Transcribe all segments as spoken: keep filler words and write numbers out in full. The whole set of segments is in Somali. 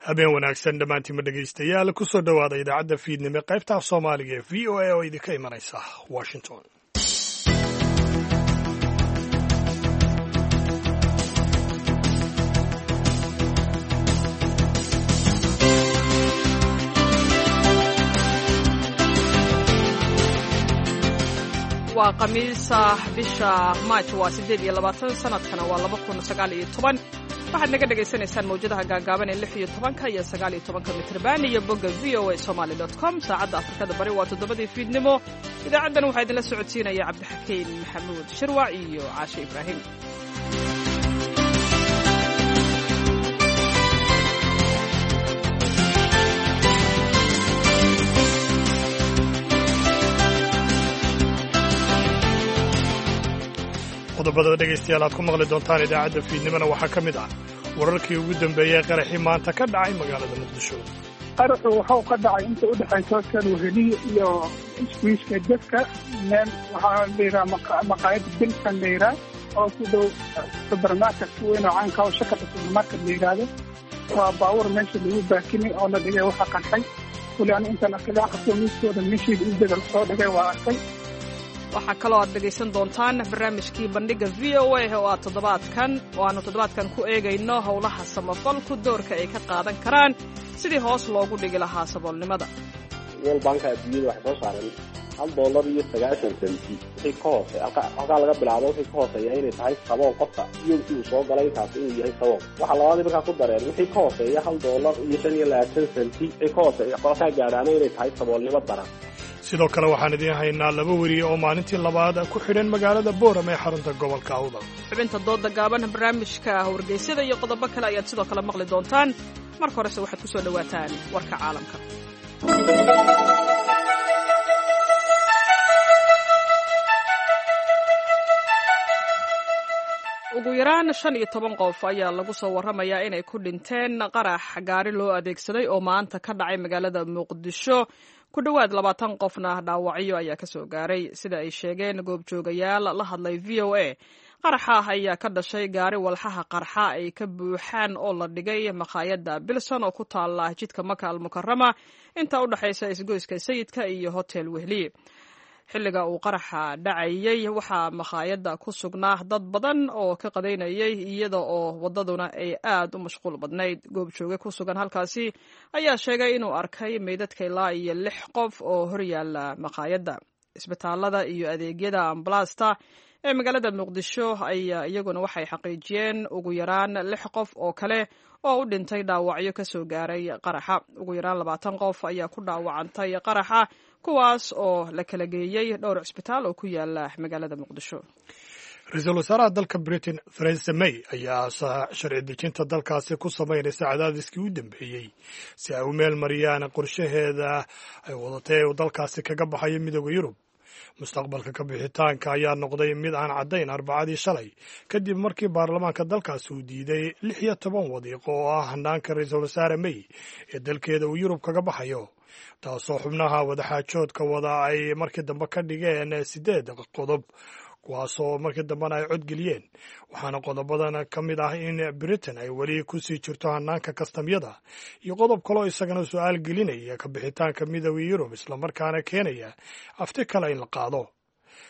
Habeen wanaagsan dhammaantiinma dhegaystayaal, kusoo dhowaada idaacadda fiidnimo qaybta af Soomaaliga ee V O A oo idinka imanaysa Washington. Waa Khamiisa, bisha Maaj waa siddeed iyo labaatan, sanadkana waa laba kun sagaal iyo toban. Waxaad naga dhagaysanaysaan mawjadaha gaagaaban ee lix iyo tobanka iyo sagaal iyo tobanka mitrban iyo bogga V O A Somaly dot com. Saacadda Afrikada Bari waa toddobadii fiidnimo. Idaacaddan waxaa idinla socodsiinaya Cabdixakiin Maxamuud Shirwac iyo Caashe Ibraahim. Qodobada dhegaystayaal aad ku maqli doontaan idaacadda fiidnimona waxaa ka mid ah wararkii ugu dambeeyey qaraxii maanta ka dhacay magaalada Muqdisho. Qaraxu waxau ka dhacay inta u dhexaysa hotel Weheliye iyo iswiiska Jadka, meel waxaa la yidhaha maqaayad Bilsan la yidhaha oo ku dhow subermarket weyn oo caanka oo shakada subermarket la yidhaahdo. Waa baabuur meesha lagu baakinay oo la dhigay waxa qarxay. Weli anu intaan arkay qabto miiskooda meeshiida u soo dhigay waa arkay. Waxaa kaloo aad dhegaysan doontaan barnaamijkii Bandhigga V O A oo aad toddobaadkan oo aanu toddobaadkan ku eegayno howlaha samafalku doorka ay ka qaadan karaan sidii hoos loogu dhigi lahaa saboolnimada. World Banka adduunyada waxay soo saareen hal dollar iyo sagaashan senti wixii ka hoose, halkaa laga bilaabo wixii ka hooseeya inay tahay sabool, qofka yoomkii uu soo galay taasi inuu yahay sabool. Waxaa labaadii markaa ku dareen wixii ka hooseeya hal dollar iyo shan iyo labaatan senti wixii ka hooseeya qolkaa gaadhaana inay tahay saboolnimo daran. Sidoo kale waxaan idiin haynaa laba weriye oo maalintii labaad ku xidhan magaalada Booram ee xarunta gobolka Awdal. Xubinta dooda gaaban, barnaamijka wargeysyada iyo qodobo kale ayaad sidoo kale maqli doontaan. Marka horese waxaad ku soo dhowaataan warka caalamka. Ugu yaraan shan iyo toban qof ayaa lagu soo warramayaa inay ku dhinteen qarax gaari loo adeegsaday oo maanta ka dhacay magaalada Muqdisho. Ku dhowaad labaatan qofna dhaawacyo ayaa ka soo gaaray, sida ay sheegeen goobjoogayaal la hadlay V O A. Qaraxa ayaa ka dhashay gaari walxaha qarxa ay ka buuxaan oo la dhigay makhaayadda Bilson oo ku taala jidka Maka Almukarama, inta u dhexaysa isgoyska Sayidka iyo Hotel Wehliye. Xilliga uu qaraxa dhacayey waxaa makhaayadda ku sugnaa dad badan oo ka qadaynayay, iyada oo waddaduna ay aad u mashquul badnayd. Goobjooge ku sugan halkaasi ayaa sheegay inuu arkay meydadka ilaa iyo lix qof oo horyaala makhaayadda. Isbitaalada iyo adeegyada ambalaasta ee magaalada Muqdisho ayaa iyaguna waxay xaqiijiyeen ugu yaraan lix qof oo kale oo u dhintay dhaawacyo ka soo gaaray qaraxa. Ugu yaraan labaatan qof ayaa ku dhaawacantay qaraxa, kuwaas oo la kala geeyey dhowr cisbitaal oo ku yaala magaalada Muqdisho. Ra-iisul wasaaraha dalka Britain Theresa May ayaa sharci dejinta dalkaasi ku samaynaysa cadaadiskii u dambeeyey si ay u meel mariyaan qorshaheeda ay wadatay uu dalkaasi kaga baxayo Midooda Yurub. Mustaqbalka ka bixitaanka ayaa noqday mid aan caddayn Arbacadii shalay, kadib markii baarlamaanka dalkaasi uu diiday lix iyo toban wadiiqo oo ah hanaanka ra-iisul wasaare May ee dalkeeda uu Yurub kaga baxayo, taasoo xubnaha wadaxaajoodka wada ay markii dambe ka dhigeen siddeed qodob, kuwaasoo markii dambena ay codgeliyeen. Waxaana qodobadan ka mid ah in Britain ay weli kusii jirto hanaanka kastamyada iyo qodob kaloo isagana su-aal gelinaya ka bixitaanka Midooda Yurub, islamarkaana keenaya afti kale in la qaado.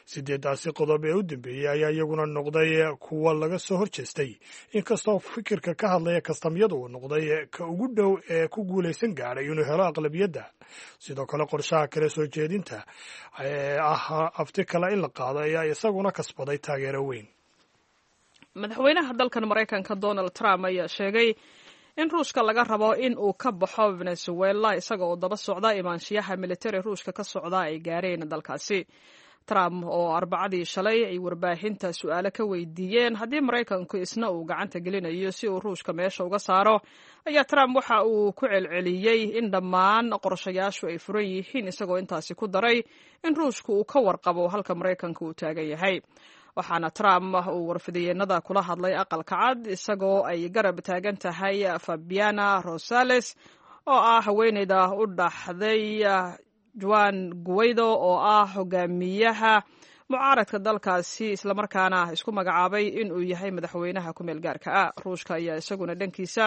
Sideedaasi qodob ee u dambeeyey ayaa iyaguna noqday kuwa laga soo horjeestay, inkastoo fikirka ka hadlaya kastamyadu uu noqday ka ugu dhow ee ku guulaysan gaadhay inuu helo aqlabiyadda. Sidoo kale qorshaha kale soo jeedinta ee ah afti kale in la qaado ayaa isaguna kasbaday taageero weyn. Madaxweynaha dalkan Maraykanka Donald Trump ayaa sheegay in Ruushka laga rabo in uu ka baxo Venezuela, isaga oo daba socda imaanshiyaha militari Ruushka ka socda ay gaareen dalkaasi. Trump oo Arbacadii shalay ay warbaahinta su-aalo ka weydiiyeen haddii Maraykanku isna uu gacanta gelinayo si uu Ruushka meesha uga saaro, ayaa Trump waxa uu ku celceliyey in dhammaan qorshayaashu ay furan yihiin, isagoo intaasi ku daray in Ruushku uu ka warqabo halka Maraykanka uu taagan yahay. Waxaana Trump uu warfidiyeenada kula hadlay Aqalka Cad isagoo ay garab taagan tahay Fabiana Rosales oo ah haweeneyda u dhaxday Juan Guaido oo ah hogaamiyaha mucaaradka dalkaasi, islamarkaana isku magacaabay inuu yahay madaxweynaha ku meel gaarka ah. Ruushka ayaa isaguna dhankiisa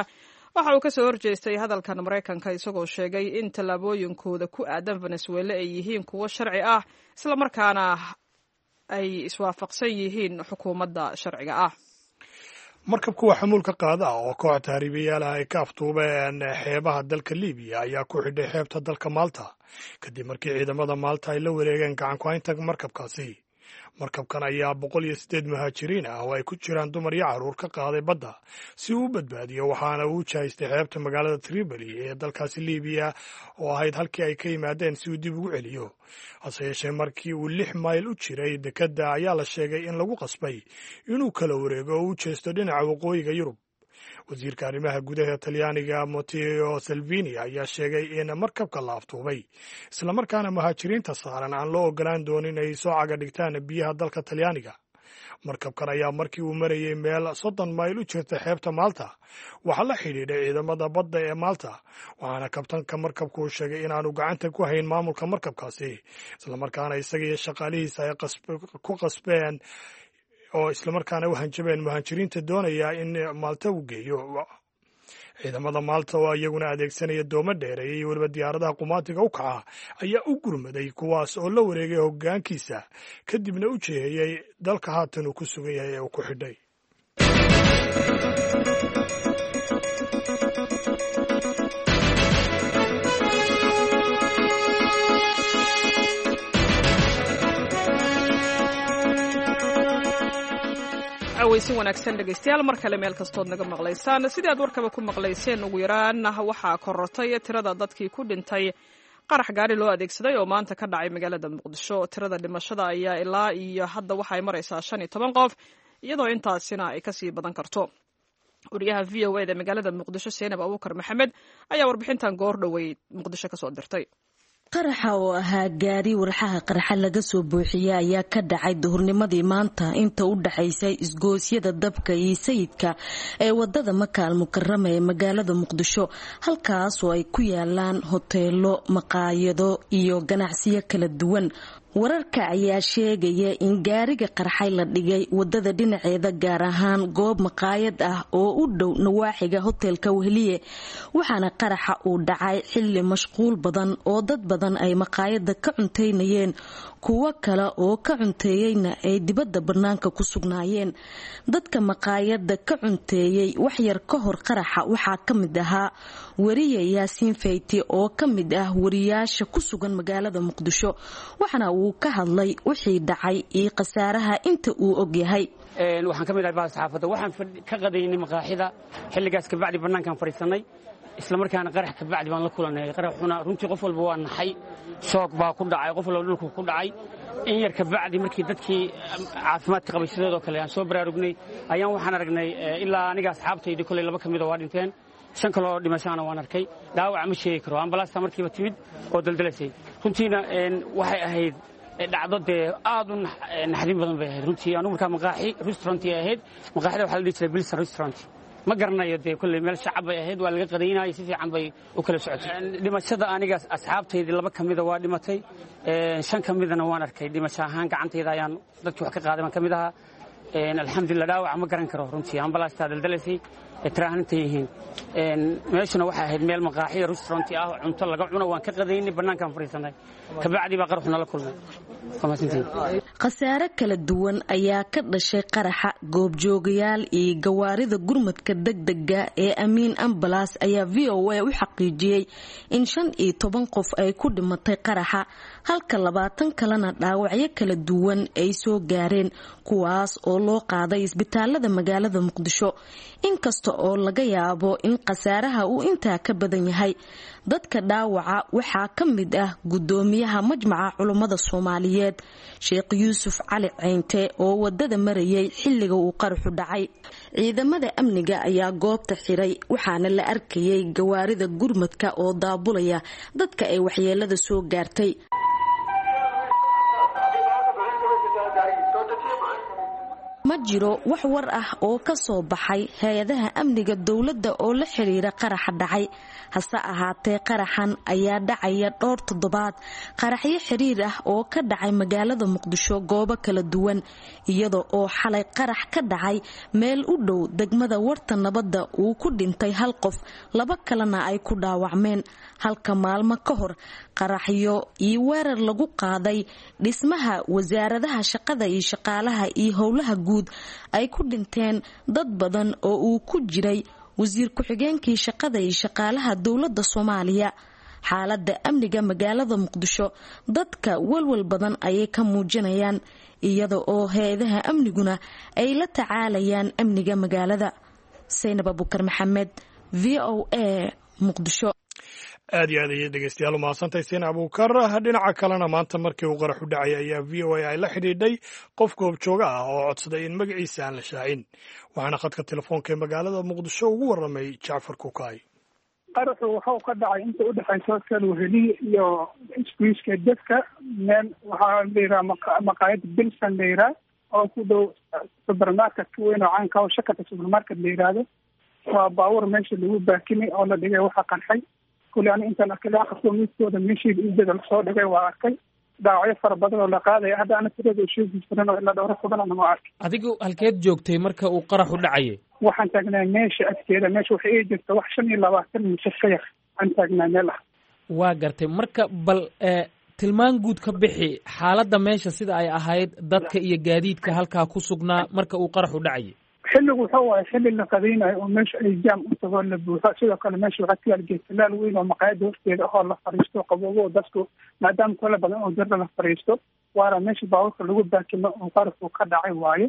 Waxa uu kasoo horjeestay hadalkan Maraykanka, isagoo sheegay in tallaabooyinkooda ku aadan Venezuela ay yihiin kuwo sharci ah, islamarkaana ay iswaafaqsan yihiin xukuumadda sharciga ah. Markab kuwa xamuulka qaada ah oo koox tahriibayaal ah ay ka aftuubeen xeebaha dalka Libiya ayaa ku xidhay xeebta dalka Malta, kadib markii ciidamada Malta ay la wareegeen gacan ku-haynta markabkaasi. Markabkan ayaa boqol iyo siddeed muhaajiriin ah oo ay ku jiraan dumar iyo carruur ka qaaday badda si uu u badbaadiyo, waxaana uu jahaystay xeebta magaalada Tripoli ee dalkaasi Libiya oo ahayd halkii ay ka yimaadeen si uu dib ugu celiyo. Hase yeeshee, markii uu lix mayl u jiray dekedda ayaa la sheegay in lagu qasbay inuu kala wareego oo u jeesto dhinaca waqooyiga Yurub. Wasiirka arrimaha gudaha Talyaaniga Matteo Salvini ayaa sheegay in markabka la aftuubay, islamarkaana muhaajiriinta saaran aan loo ogolaan doonin ay soo caga dhigtaan biyaha dalka Talyaaniga. Markabkan ayaa markii uu marayay meel soddon mayl u jirta xeebta Malta waxaa la xidhiidhay ciidamada badda ee Malta, waxaana kabtanka markabku uu sheegay inaanu gacanta ku hayn maamulka markabkaasi, islamarkaana isaga iyo shaqaalihiisa ay ku qasbeen oo islamarkaana u hanjabeen muhaajiriinta doonaya in Malta uu geeyo. Ciidamada Malta oo iyaguna adeegsanaya doomo dheereeya iyo weliba diyaaradaha qumaatiga u kaca ayaa u gurmaday, kuwaas oo la wareegay hoggaankiisa, kadibna u jeeheyey dalka haatan uu ku sugan yahay ee uu ku xidhay. Weysin wanaagsan dhegaystayaal, mar kale meel kastood naga maqlaysaan. Sidii aad warkaba ku maqlayseen, ugu yaraan waxaa korortay tirada dadkii ku dhintay qarax gaari loo adeegsaday oo maanta ka dhacay magaalada Muqdisho. Tirada dhimashada ayaa ilaa iyo hadda waxay maraysaa shan iyo toban qof, iyadoo intaasina ay kasii badan karto. Wariyaha V O A da magaalada Muqdisho, Seenab Abuukar Maxamed, ayaa warbixintan goor dhoweyd Muqdisho kasoo dirtay. Qaraxa oo ahaa gaari walxaha qarxa laga soo buuxiyey ayaa ka dhacay duhurnimadii maanta inta u dhaxaysay isgoosyada Dabka iyo Sayidka ee wadada Maka Al Mukarama ee magaalada Muqdisho, halkaas oo ay ku yaalaan hoteelo, maqaayado iyo ganacsiyo kala duwan. Wararka ayaa sheegaya in gaariga qarxay la dhigay wadada dhinaceeda, gaar ahaan goob maqaayad ah oo u dhow nawaaxiga hotelka Weheliye, waxaana qaraxa uu dhacay xilli mashquul badan oo dad badan ay maqaayada ka cuntaynayeen, kuwo kale oo ka cunteeyeyna ay dibadda bannaanka ku sugnaayeen. Dadka maqaayada ka cunteeyey waxyar ka hor qaraxa waxaa ka mid ahaa wariye Yaasiin Fayti oo ka mid ah wariyaasha ku sugan magaalada Muqdisho, waxaana uu ka hadlay wixii dhacay iyo khasaaraha inta uu ogyahay. Waxaan ka mid ahay bahda saxaafadda. Waxaan ka qadaynay maqaaxida xilligaas, kabacdi bannaankaan fadhiisanay, isla markaana qarax kabacdi baan la kulanay. Qaraxuna runtii qof walba waa naxay, shoog baa ku dhacay, qof walba dhulku ku dhacay. In yar kabacdi markii dadkii caafimaadka qabay sidoodoo kale aan soo baraarugnay ayaan waxaan aragnay ilaa aniga asxaabtaydii koley laba ka mida waa dhinteen, shan kaloo dhimashaana waan arkay. Dhaawaca ma sheegi karo, ambalaasta markiiba timid oo daldalasay. Runtiina waxay ahayd dhacdo dee aad u naxdin badan bay ahayd runtii. Anugu markaa maqaaxi restaurant ay ahayd, maqaaxida waxaa la dhihi jiray Bilson Restaurant. Ma garanayo dee, kolley meel shacab bay ahayd, waa laga qadaynayay, si fiican bay u kala socotay. Dhimashada aniga asxaabtaydii laba ka mida waa dhimatay, shan ka midana waan arkay dhimasho ahaan, gacantayda ayaan dadkii wax ka qaaday baan ka mid ahaa, alxamdulillah. Dhaawaca ma garan karo runtii, ambalaastaa daldalaysay tiraahanta yihiin. Meeshuna waxay ahayd meel maqaaxiya restaurant ah, cunto laga cuno, waan ka qadaynay, bannaankaan fadhiisanay, kabacdi baa qaraxu nala kulmay. Khasaare kala duwan ayaa ka dhashay qaraxa. Goobjoogayaal iyo gawaarida gurmadka degdega ee Amiin Ambalaas ayaa V O A u xaqiijiyey in shan iyo toban qof ay ku dhimatay qaraxa, halka labaatan kalena dhaawacyo kala duwan ay soo gaareen, kuwaas oo loo qaaday isbitaalada magaalada Muqdisho, inkasta oo laga yaabo in khasaaraha uu intaa ka badan yahay. Dadka dhaawaca waxaa ka mid ah gudoomiyaha Majmaca Culummada Soomaaliyeed, Sheekh Yuusuf Cali Ceynte, oo wadada marayay xilliga uu qaraxu dhacay. Ciidamada amniga ayaa goobta xiray, waxaana la arkayay gawaarida gurmadka oo daabulaya dadka ay waxyeelada soo gaartay. Ma jiro wax war ah oo ka soo baxay hay-adaha amniga dowladda oo la xiriira qaraxa dhacay. Hase ahaatee qaraxan ayaa dhacaya dhowr toddobaad qaraxyo xiriir ah oo ka dhacay magaalada Muqdisho goobo kala duwan, iyada oo xalay qarax ka dhacay meel u dhow degmada Warta Nabadda uu ku dhintay hal qof, laba kalena ay ku dhaawacmeen, halka maalmo ka hor qaraxyo iyo weerar lagu qaaday dhismaha wasaaradaha shaqada iyo shaqaalaha iyo howlaha guud ay ku dhinteen dad badan oo uu ku jiray wasiir ku-xigeenkii shaqada iyo shaqaalaha dowladda Soomaaliya. Xaaladda amniga magaalada Muqdisho dadka walwal badan ayay ka muujinayaan, iyada oo hay-adaha amniguna ay la tacaalayaan amniga magaalada. Saynab Abukar Maxamed, V O A, Muqdisho. Aad iyo aad ayay dhegeystayaal umahadsantahay Seen Abuukar. Dhinaca kalena maanta markii uu qaraxu dhacay ayaa V O A ay la xidhiidhay qof goobjooga ah oo codsaday in magaciisa aan la shaacin, waxaana khadka telefoonka ee magaalada Muqdisho ugu warramay Jacfar Kukaay. Qaraxu wuxuu ka dhacay inta udhexaysa hotel Weheliye iyo iskuiska Dadka, meel waxaa la yidhaha maqaayad Bilsan la yidhaha oo ku dhow supermarket weyn oo caanka oo shakata supermarket la yidhaahdo. Waa baabuur meesha lagu baakinay oo la dhigay waxa qarxay. Kule ani intaan arkay laba qofoo midkooda meeshii ujeeda lasoo dhigay waa arkay dhaawacyo fara badan oo la qaadaya. Hadda ana tirada sheegi jiran oo ilaa dhowro kubanana waa arkay. Adigu halkeed joogtay marka uu qaraxu dhacayay? Waxaan taagnaa meesha agteeda, meesha waxay ii jirta wax shan iyo labaatan mise ka yar aan taagnaa meel ah. Waa gartay. Marka bal tilmaan guud ka bixi xaaladda meesha sida ay ahayd, dadka iyo gaadiidka halkaa ku sugnaa marka uu qaraxu dhacayay. Xilligu wuxuu waaye xilli la qadaynayo oo meesha ay jaam u tago la buuxo. Sidoo kale meesha waxaa ku yaal geedtalaal weyn oo maqaayada horteeda ahoo la fariisto qaboobo dadku maadaama kole badan oo dirda la fariisto, waana meesha baabuurka lagu baakimo oo qaraxu ka dhacay waaye.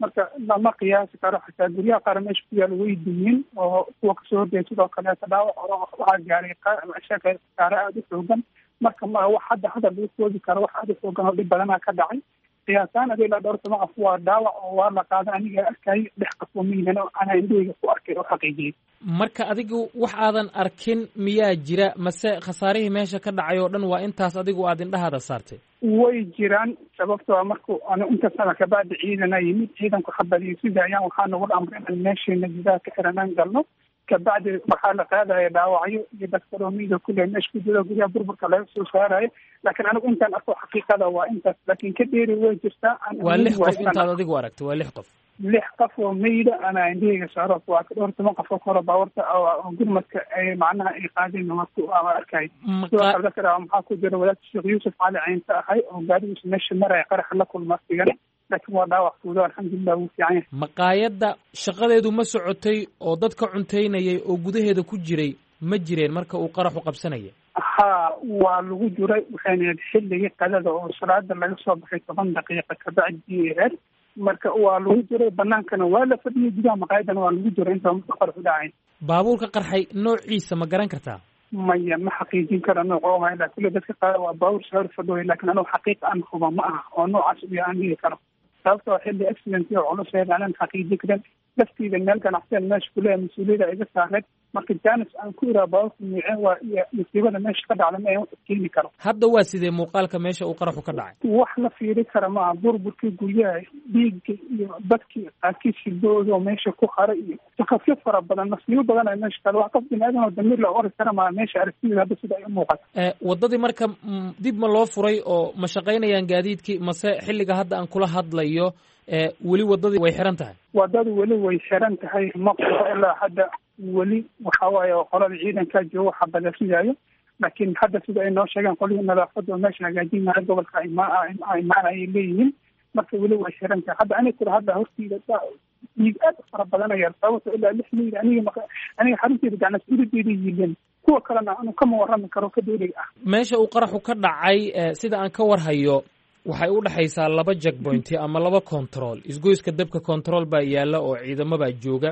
Marka lama qiyaasi karo, xataa guryaha qaar meesha ku yaal way dumin oo kuwa kasoo horjeeda sidoo kaleeta dhaawac waxaa gaaray khasaare aada u xoogan. Marka ma wax hadda hadal lagu koobi karo, wax aada u xoogan oo dhib badanaa ka dhacay. Qiyaasaan adi ilaa dhowr toban qof waa dhaawac oo waa la qaada, aniga arkay dhex qof oo miyigan oo anaa indhahayga ku arkay oo xaqiijiyey. Marka adigu wax aadan arkin miyaa jira, mase khasaarihii meesha ka dhacay oo dhan waa intaas adigu aad indhahaada saartay? Way jiraan, sababtoo marku anu inta sana kabacdi ciidana yimid, ciidanku xabadiyo sida ayaan waxaa nagu amray inaan meesheena gudaha ka xiranaan galno. Kabacdi waxaa la qaadaya dhaawacyo iyo dadka miyiga kule meesha ku jiro guryaha burburka laga soo saarayo, laakiin anigu intaan arko xaqiiqada waa intaas, laakiin ka dheeri way jirtaa. Waa lix qof intaad adigu aragtay? Waa lix qof? Lix qof oo meyda anaa indhahayga saaro, waa dhowr toban qof oo koro baawarta oo gurmadka ay macnaha ay qaadeen waa arkay. Sidoo kale dadka dhaawac maxaa ku jira wadaadka Sheekh Yuusuf Cali Caynta ahay oo gaarigiisa meesha maraya qaraxa la kulma sigana, laakiin waa dhaawac fuudo, alxamdulilah wuu fiican yahay. Maqaayadda shaqadeedu ma socotay oo dadka cuntaynayay oo gudaheeda ku jiray ma jireen marka uu qaraxu qabsanaya? Ha, waa lagu jiray, waxayna ahayd xilligii qadada oo salaada laga soo baxay toban daqiiqa kabacdi aheyd. Marka waa lagu jiray, banaankana waa la fadhiyay, gudaha maqaayadana waa lagu jiray intaa marka qaraxu dhacay. Baabuurka qarxay noociisa ma garan kartaa? Maya, ma xaqiijin kara nooc oo ahay, laakiin kulle dadka qaar waa baabuur soo fadhooy, laakiin anugu xaqiiq aan huba ma aha oo noocaas u yahay aan dhihi karo, sababtoo xilli accident oo culus ahayd aanan xaqiijin karin. Laftiida meel ganacsiyan meesha kuleeyahay mas-uuliyadda iga saareed, marka janis aan ku iraa baabuurka nuuceen waa iyo musiibada meesha ka dhacda ma wax keeni karo. Hadda waa sidee muuqaalka meesha uu qaraxu ka dhacay? Wax la fiiri kara maaha, burburkii guryaha, dhiigga iyo dadkii qaarkiis hildooda oo meesha ku haray iyo shaqafyo fara badan, masiibo badan ay meesha kale, wax qof bini aadan oo damiir la ori kara maaha meesha aragtideeda hadda sida ay u muuqato. Waddadii marka dib ma loo furay oo ma shaqaynayaan gaadiidkii, mase xilliga hadda aan kula hadlayo weli waddadii way xiran tahay? Waddadu weli way xiran tahay, ma quro ilaa hadda weli waxa waaye qolada ciidankaa joogo waxa badasidaayo, laakiin hadda sida ay noo sheegeen qolihii nadaafadda oo meesha hagaajinaya gobolka imaan ayay leeyihiin. Marka weli way xiran tahay. Hadda aniga kula hadla hortiida dhiig aad u fara badanaya, sababto ilaa lix meyl aniga aniga xarunteeda gacnas urideeda yiileen, kuwa kalena anu kama warrami karo ka dheeriga ah. Meesha uu qaraxu ka dhacay sida aan ka warhayo waxay u dhexaysaa laba jackpointi ama laba control. Isgoyska Dabka control baa yaalla oo ciidamo baa jooga,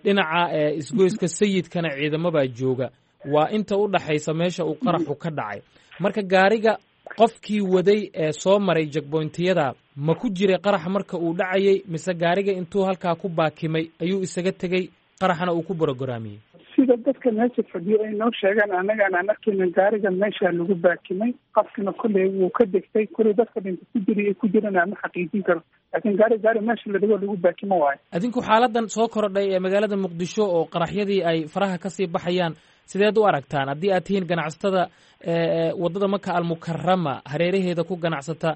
dhinaca isgoyska Sayidkana ciidamo baa jooga. Waa inta u dhaxaysa meesha uu qaraxu ka dhacay. Marka gaariga qofkii waday ee soo maray jackpointiyada ma ku jiray qaraxa marka uu dhacayay, mise gaariga intuu halkaa ku baakimay ayuu isaga tegey qaraxana uu ku borogaraamiyey? Sida dadka meesha fadhiyo ay noo sheegaan, annagaan aan arkayna gaariga meesha lagu baakimay, qofkina kolley wuu ka degtay, kolley dadka dhinta ku jira ku jirana ma xaqiijin karo, laakiin gaari gaari meesha la dhigo lagu baakimo waayo. Adinku xaaladan soo korodhay ee magaalada Muqdisho oo qaraxyadii ay faraha kasii baxayaan sideed u aragtaan haddii aad tihiin ganacsatada waddada Maka Almukarama hareeraheeda ku ganacsata,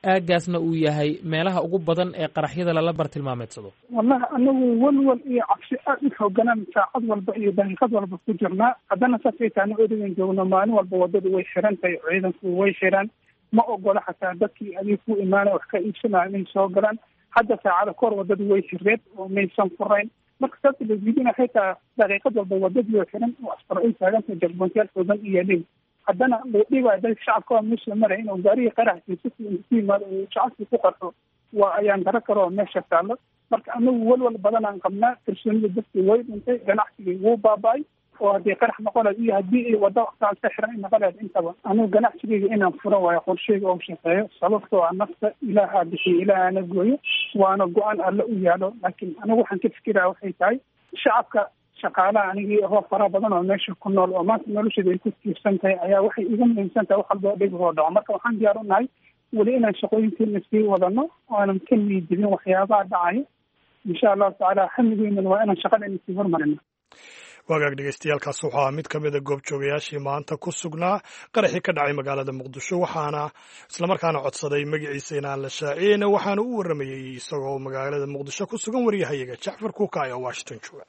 aagaasna uu yahay meelaha ugu badan ee qaraxyada lala bartilmaameedsado? Wallahi anagu walwal iyo cabsi aad u xooganaan saacad walba iyo daqiiqad walba ku jirnaa. Haddana saasay taana odagan joogno, maalin walba waddadu way xiran tahay, ciidanku way xiran, ma ogola xataa dadkii adiga ku imaanaya wax ka iibsanaya inay soo galaan. Hadda saacada kahor waddadu way xireed oo maysan furayn. Marka saas laisweydiina, xitaa daqiiqad walba waddadii way xiran oo asfar ay taagantahay, checkpointyaal xoogan iyo yaalin. Haddana loo dhiibaayo dadka shacabka waa meesha maraya inuu gaarigii qaraxkiisa ku yimaado uu shacabkii ku qarxo, waa ayaan daro kale oo meesha taallo. Marka anagu walwal badan aan qabnaa, kalsoonida dadkii way dhintay, ganacsigii wuu baaba'ay, oo haddii qarax noqon lahayd iyo haddii ay waddo saasa xiran ay noqon lahayd intaba. Anigu ganacsigeyga inaan furo waayo qorsheyga oo shaqeeyo, sababtoo ah nafta Ilaahaa bixiyo, Ilaahana gooyo, waana go-aan Alle u yaalo. Laakiin anigu waxaan ka fikiraya waxay tahay shacabka shaqaalaha anigii ahoo fara badan oo meesha ku nool oo maanta nolosheeda ay ku tiirsan tahay ayaa waxay iga muhiimsan tahay wax walba oo dhib oo dhaco. Marka waxaan diyaar u nahay weli inaan shaqooyinkeena sii wadano oo aanan ka niidibin waxyaabaha dhacayo, insha Allahu tacaala. Hamigeynana waa inaan shaqadeena sii hormarino. Wagaag dhegeystayaaalkaas wuxuu ahaa mid ka mida goobjoogayaashii maanta ku sugnaa qaraxii ka dhacay magaalada Muqdisho, waxaana islamarkaana codsaday magaciisa inaan la shaaciyeyna, waxaana u warramayey isagoo magaalada Muqdisho ku sugan waryahayaga Jacfar Kuuka ee Washington jooga.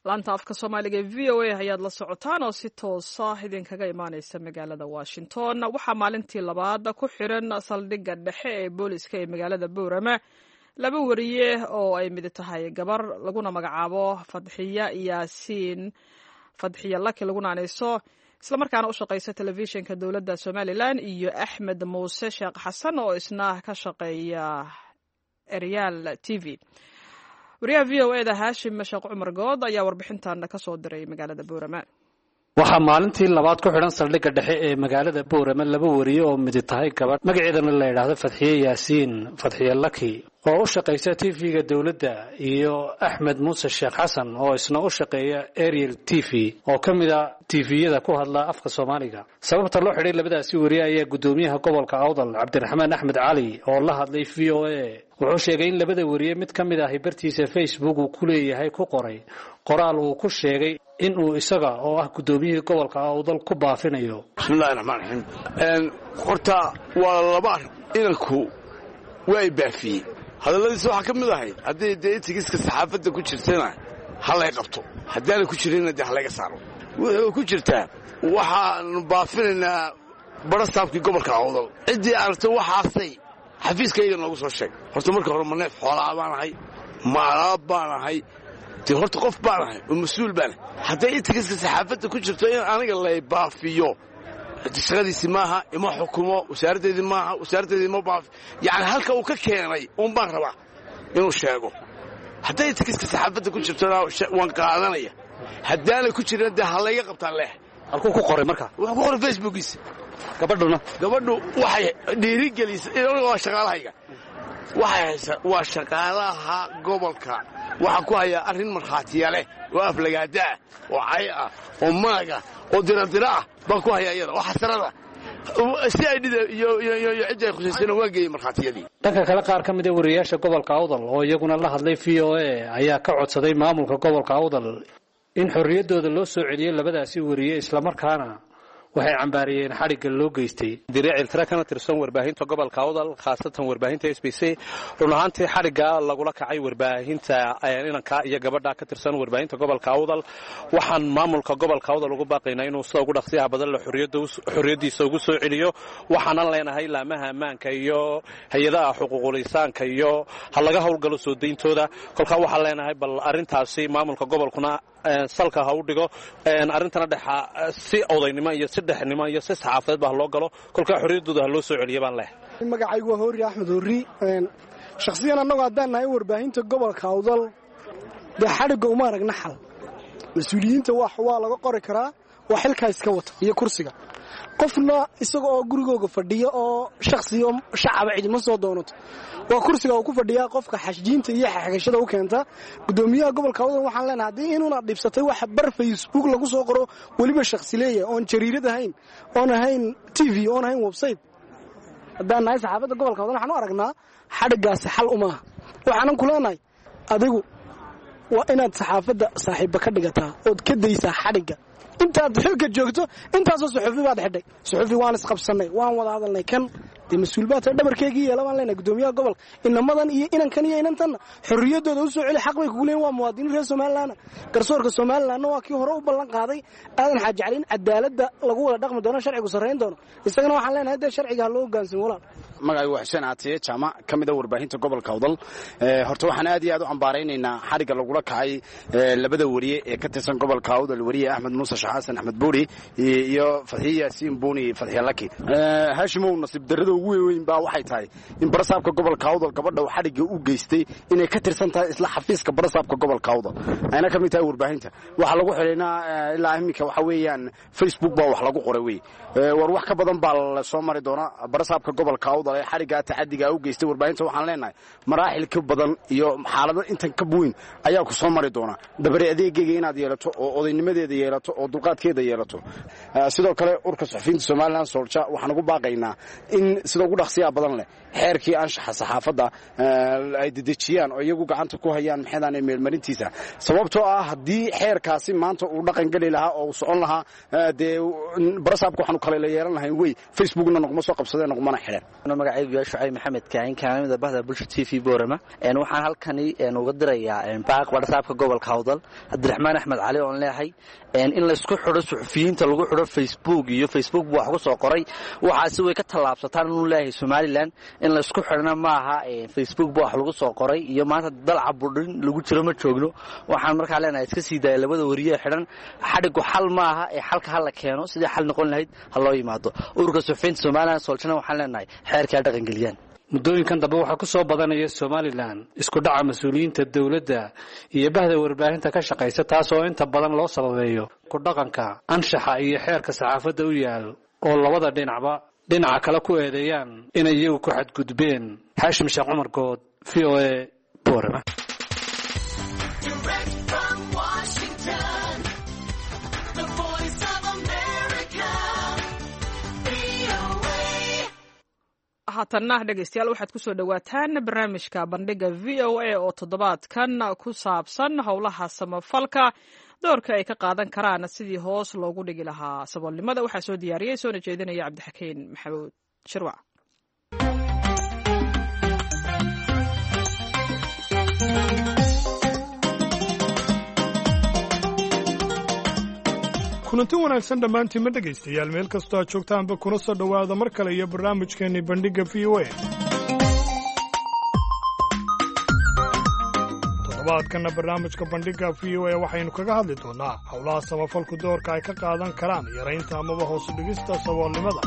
Laanta afka Soomaaliga ee V O A ayaad la socotaan oo si toosa idinkaga imaaneysa magaalada Washington. Waxaa maalintii labaad ku xiran saldhigga dhexe ee booliska ee magaalada Boorama laba wariye oo ay mid tahay gabar laguna magacaabo Fadxiya Yaasiin, Fadxiya Laki laguna aneyso, islamarkaana u shaqeysa telefishinka dowladda Somalilan, iyo Axmed Muuse Sheekh Xasan oo isna ka shaqeeya Eryaal T V. Wariyaha V O E da Haashim Sheekh Cumar Good ayaa warbixintan ka soo diray magaalada Boorama. Waxaa maalintii labaad ku xidhan saldhigga dhexe ee magaalada Boorama laba wariye oo midi tahay gabadh magaceedana la yidhaahdo Fadxiye Yaasiin, Fadxiye Laki, oo u shaqaysa T V-ga dowladda, iyo Axmed Muuse Sheekh Xasan oo isna u shaqeeya Ariel T V oo ka mid a T V-yada ku hadla afka Soomaaliga. Sababta loo xidhay labadaasi wariye ayaa guddoomiyaha gobolka Awdal Cabdiraxmaan Axmed Cali oo la hadlay V O A wuxuu sheegay in labada wariye mid ka mid ahi bartiisa Facebook uu ku leeyahay ku qoray qoraal uu ku sheegay in uu isaga oo ah guddoomiyihii gobolka Awdal ku baafinayo. Bismillahi raxmaan raxiim. Horta waa laba arrin. Inanku waa baafiyey, hadalladiisa waxaa ka mid ahay haddii dee ethics-ka saxaafadda ku jirtana ha lay qabto, haddaanay ku jirinna dee ha layga saaro. Wuxuu ku jirtaa waxaanu baafinaynaa barasaabkii gobolka Awdal, ciddii aragtay waxaasay xafiiskayga noogu soo sheeg. Horta marka hore ma neef xoolaa baan ahay, ma alaab baan ahay? Dee horta qof baan ahay oo mas-uul baan ahay. Hadday ethics-ka saxaafadda ku jirto in aniga lay baafiyo, shaqadiisi maaha, ima xukumo, wasaaraddeedii maaha, wasaaraddeedii ma baafi. Yacni halka uu ka keenay uun baan rabaa inuu sheego. Hadday ethics-ka saxaafadda ku jirtona waan qaadanaya, haddaanay ku jirin dee ha layga qabtaan leh. Halkuu ku qoray marka? Wuxuu ku qoray Facebookiisa. Gabadhuna? Gabadhu waxay dhiirigelisay, waa shaqaalahayga, waxay haysaa waa shaqaalaha gobolka. Waxaan ku hayaa arrin markhaatiya leh oo aflagaada ah oo cay ah oo maag ah oo diradira ah baan ku hayaa iyada oo xasarada si ay dhida iyo iyo iyo cidda ay khusaysana waan geeyey markhaatiyadii. Dhanka kale, qaar ka mid a wariyaasha gobolka Awdal oo iyaguna la hadlay V O A ayaa ka codsaday maamulka gobolka Awdal in xorriyaddooda loo soo celiyo labadaasi wariye, islamarkaana waxay cambaariyeen xadhigga loo geystay. Direeciltira kana tirsan warbaahinta gobolka Awdal, khaasatan warbaahinta S B C. Run ahaantii xadhigga lagula kacay warbaahinta inanka iyo gabadha ka tirsan warbaahinta gobolka Awdal, waxaan maamulka gobolka Awdal ugu baaqaynaa inuu sida ugu dhaqsiyaha badan la xorriyaddiisa ugu soo celiyo. Waxaanan leenahay laamaha ammaanka iyo hay-adaha xuquuqul insaanka iyo ha laga howlgalo soo dayntooda. Kolkaa waxaan leenahay bal arrintaasi maamulka gobolkuna salka ha u dhigo arrintana, dhexa si odaynimo iyo si dhexnimo iyo si saxaafadeed ba ha loo galo, kolkaa xorriyaddooda ha loo soo celiya baan leh. Magacaygu waa Hoori Axmed Horri. Shakhsiyan annagu haddaan nahay warbaahinta gobolka Awdal, dee xadhigga uma aragna xal. Mas-uuliyiinta wax waa laga qori karaa, waa xilkaa iska wata iyo kursiga, Qofna isaga oo gurigooga fadhiya oo shakhsiyo shacaba cidima soo doonato. Waa kursiga uu ku fadhiyaa qofka xashjiinta iyo xagashada u keenta. Gudoomiyaha gobolka Awdal waxaan leenahay, haddii inuuna dhibsatay wax bar Facebook lagu soo qoro, weliba shakhsi leeyahay, oon jariirad ahayn, oon ahayn T V, oon ahayn website, haddaan nahay saxaafadda gobolka Awdal waxaan u aragnaa xadhiggaasi xal umaaha. Waxaanan ku leenahay, adigu waa inaad saxaafadda saaxiibba ka dhigataa ood ka daysaa xadhigga intaad xilka joogto. Intaasoo suxufi baad xidhay. Suxufi waan isqabsannay, waan wada hadalnay, kan dee mas-uul baa tahay, dhabarkeygii yeela baan leenahay. Gudoomiyaha gobolka, inamadan iyo inankan iyo inantanna xorriyaddooda u soo celi. Xaq bay kugu leeyihin, waa muwaadiniin reer Somaliland. Garsoorka Somalilandna waa kii hore u ballan qaaday Aadan Xaaji Cali in cadaaladda lagu wada dhaqmi doono, sharcigu sarrayn doono. Isagana waxaan leenahay dee sharciga ha loo hoggaansamo, walaal. Magacaygu waa Xuseen Caatiye Jaamac, ka mid a warbaahinta gobolka Awdal. Horta waxaan aad iyo aad u cambaaraynaynaa xadhigga lagula kacay labada wariye ee ka tirsan gobolka Awdal, wariye Axmed Muuse Xasan, Axmed Buuri, iyo Fadxiye Yaasiin Buuni, Fadxiye Laki. Haashimow, nasiib darrada ugu weyn baa waxay tahay in barasaabka gobolka Awdal gabadha uu xadhigga u geystay inay ka tirsan tahay isla xafiiska barasaabka gobolka Awdal, ayna ka mid tahay warbaahinta. Waxaa lagu xidhaynaa ilaa iminka waxa weeyaan Facebook baa wax lagu qoray wey. War wax ka badan baa la soo mari doonaa barasaabka gobolka Awdal ee xadhiggaa tacadigaa u geystay warbaahinta. Waxaan leenahay maraaxil ka badan iyo xaalado intan ka weyn ayaa ku soo mari doona. Dabare adeegayga inaad yeelato oo odaynimadeeda yeelato oo dulqaadkeeda yeelato. Sidoo kale urka suxufiyiinta Somaliland SOLJA waxaan ugu baaqaynaa in sida ugu dhaqsiyaa badan leh xeerkii anshaxa saxaafadda ay dedejiyaan oo iyagu gacanta ku hayaan maxeedaanay meelmarintiisa, sababtoo ah haddii xeerkaasi maanta uu dhaqan geli lahaa oo uu socon lahaa, dee barasaabka waxaanu kale la yeelan lahayn wey Facebookna noqma soo qabsadeen, noqmana xidheen. Magacaygu yaa Shucayb Maxamed Kaahin, kaamida bahda Bulsha T V Boorama. Waxaan halkani uga dirayaa baaq barasaabka gobolka Awdal Cabdiraxmaan Axmed Cali, oon leeyahay in laysku xidho suxufiyiinta lagu xidho Facebook iyo Facebook buu wax ku soo qoray, waxaasi way ka tallaabsataan inuu leeyahay Somaliland. In laysku xidhna maaha Facebook buu wax lagu soo qoray iyo maanta dalca budhin lagu jiro ma joogno. Waxaan markaa leenahay iska sii daaya labada wariye xidhan. Xadhigu xal maaha ee xalka ha la keeno, sidii xal noqon lahayd ha loo yimaado. Ururka suxufiyiinta Somaliland SOLJAna waxaan leenahay xeerkaa dhaqangeliyaan. Muddooyinkan dambe waxaa ku soo badanaya Somaliland isku dhaca mas-uuliyiinta dowladda iyo bahda warbaahinta ka shaqaysa, taas oo inta badan loo sababeeyo ku dhaqanka anshaxa iyo xeerka saxaafadda u yaal, oo labada dhinacba dhinaca kale ku eedeeyaan inay iyagu ku xadgudbeen. Xaashim Sheekh Cumar Good, V O A, Boorama. Direct from Washington, the Voice of America, V O A. Haatanna dhegeystayaal, waxaad kusoo dhowaataan barnaamijka Bandhiga V O A oo toddobaadkan ku saabsan howlaha samafalka doorka ay ka qaadan karaan sidii hoos loogu dhigi lahaa saboolnimada. Waxaa soo diyaariyey soona jeedinaya Cabdixakiin Maxamuud Shirwac. Kulanti wanaagsan dhammaantiinma dhegaystayaal, meel kastoo aad joogtaanba, kuna soo dhowaada mar kale iyo barnaamijkeenni Bandhigga V O A. Toddobaadkanna barnaamijka Bandhigga V O A waxaynu kaga hadli doonnaa howlaha samafalku doorka ay ka qaadan karaan yaraynta amaba hoos u dhigista saboolnimada.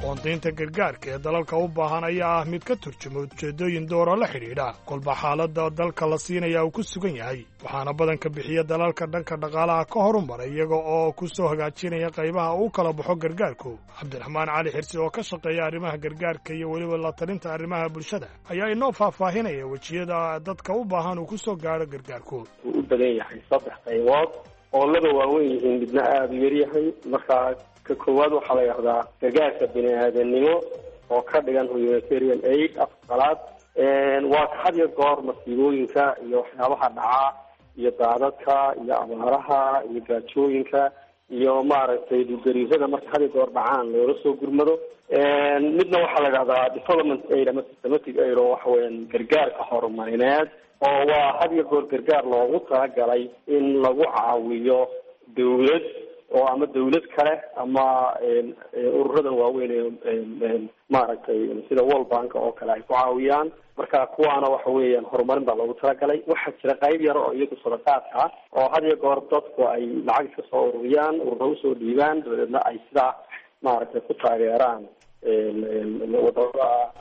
Qoondaynta gargaarka ee dalalka u baahan ayaa ah mid ka turjuma ujeeddooyin doora la xidhiidha kolba xaaladda dalka la siinaya uu ku sugan yahay, waxaana badanka bixiya dalalka dhanka dhaqaalaha ka horumaray, iyaga oo ku soo hagaajinaya qaybaha uu kala baxo gargaarku. Cabdiraxmaan Cali Xirsi oo ka shaqeeya arrimaha gargaarka iyo weliba la talinta arrimaha bulshada ayaa inoo faahfaahinaya wejiyada dadka u baahan uu ku soo gaadho gargaarku. Wuu u badan yahay saddex qaybood oo laba waaweyn yihiin, midna aada u yaryahay. Markaa ka koowaad waxaa la yidhahdaa gargaarka bini aadanimo oo ka dhigan humanitarian aid afqalaad. Waa ka had iyo goor masiibooyinka iyo waxyaabaha dhacaa iyo daadadka iyo abaaraha iyo gaajooyinka iyo maaragtay dhulgariirada marka had iyo goor dhacaan loola soo gurmado. Midna waxaa la yidhahdaa development aid ama systematic aid, oo waxa weeyaan gargaarka horumarineed, oo waa had iyo goor gargaar loogu talagalay in lagu caawiyo dawlad oo ama dawlad kale ama ururadan waaweyn ee maaragtay sida World Bank oo kale ay ku caawiyaan. Marka kuwaana waxa weeyaan horumarin baa loogu talagalay. Waxaa jira qayb yar oo iyagu sadaqaadka ah, oo had iyo goor dadku ay lacag iska soo ururiyaan, ururo usoo dhiibaan, dabadeedna ay sidaa maaragtay ku taageeraan wadamada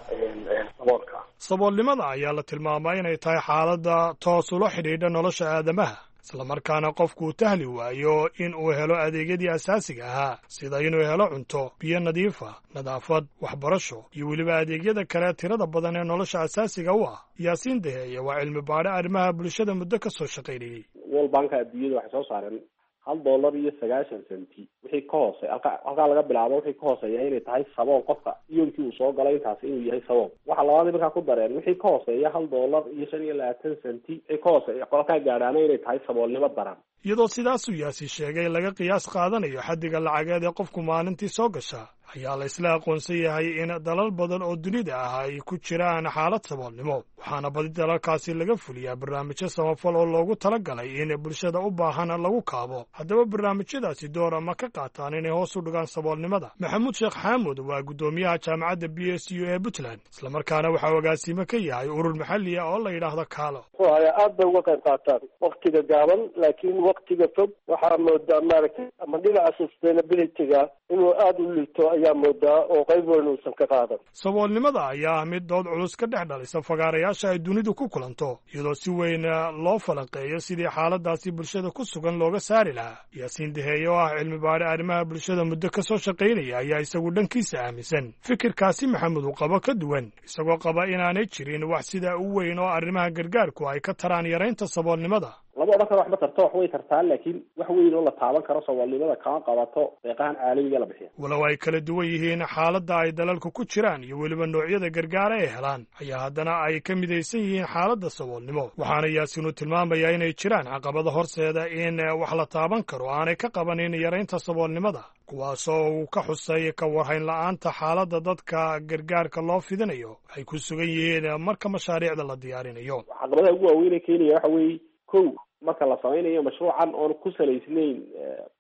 saboolka. Saboolnimada ayaa la tilmaamaa inay tahay xaaladda toos ula xidhiidha nolosha aadamaha. Islamarkaana qofku uu tahli waayo in uu helo adeegyadii asaasiga ahaa, sida inuu helo cunto, biyo nadiifa, nadaafad, waxbarasho iyo weliba adeegyada kale tirada badan ee nolosha asaasiga u ah. Yaasiin Daheeye waa cilmi baadhe arrimaha bulshada muddo ka soo shaqaynayey. World Banka adduunyada waxay soo saareen hal dollar iyo sagaashan centi wixii ka hoose halka halkaa laga bilaabo wixii ka hooseeya inay tahay sabool, qofka yoomkii uu soo galay intaasi inuu yahay sabool. Waxa labaad markaa ku dareen wixii ka hooseeya hal dollar iyo shan iyo labaatan centi wixii ka hooseeya qolkaa gaadhaana inay tahay saboolnimo daran. Iyadoo sidaasuu Yaasi sheegay laga qiyaas qaadanayo xaddiga lacageed ee qofku maalintii soo gasha, ayaa la isla aqoonsan yahay in dalal badan oo dunida ah ay ku jiraan xaalad saboolnimo, waxaana badi dalalkaasi laga fuliyaa barnaamijyo samafal oo loogu talagalay in bulshada u baahan lagu kaabo. Haddaba barnaamijyadaasi door ama ka qaataan inay hoos u dhigaan saboolnimada? Maxamuud Sheekh Xaamud waa guddoomiyaha jaamacadda B S U ee Puntland, islamarkaana waxaa agaasimo ka yahay urur maxalli ah oo la yidhaahdo Kaalo. Muxuu ahaa, aad bay uga qayb qaataan waktiga gaaban, laakiin waktiga fog waxaa moodaa maaragtay ama dhinaca sustainability-ga inuu aada u liito ayaa moodaa oo qayb weyn uusan ka qaadan. Saboolnimada ayaa ah mid dood culus ka dhex dhalisa fagaarayaasha ay dunidu ku kulanto, iyadoo si weyn loo falanqeeyo sidii xaaladaasi bulshada ku sugan looga saari lahaa. Yaasiin Daheeye oo ah cilmi baadhe arrimaha bulshada muddo ka soo shaqaynaya ayaa isagu dhankiisa aaminsan fikirkaasi Maxamed uu qabo ka duwan, isagoo qaba inaanay jirin wax sidaa u weyn oo arrimaha gargaarku ay ka taraan yaraynta saboolnimada. Lama odhan karo wax ma tarto, wax way tartaan, laakiin wax weyn oo la taaban karo saboolnimada kama qabato deeqahan caalamiga la bixiya. Walow ay kala duwan yihiin xaaladda ay dalalku ku jiraan iyo weliba noocyada gargaara ay helaan, ayaa haddana ay ka midaysan yihiin xaaladda saboolnimo, waxaana Yaasiinu tilmaamayaa inay jiraan caqabada horseeda in wax la taaban karo aanay ka qabanin yaraynta saboolnimada, kuwaasoo uu ka xusay ka warhayn la'aanta xaaladda dadka gargaarka loo fidinayo ay ku sugan yihiin marka mashaariicda la diyaarinayo. Caqabadaha ugu waaweyn ee keenaya waxa weeye, kow, marka la samaynayo mashruucan oon ku salaysnayn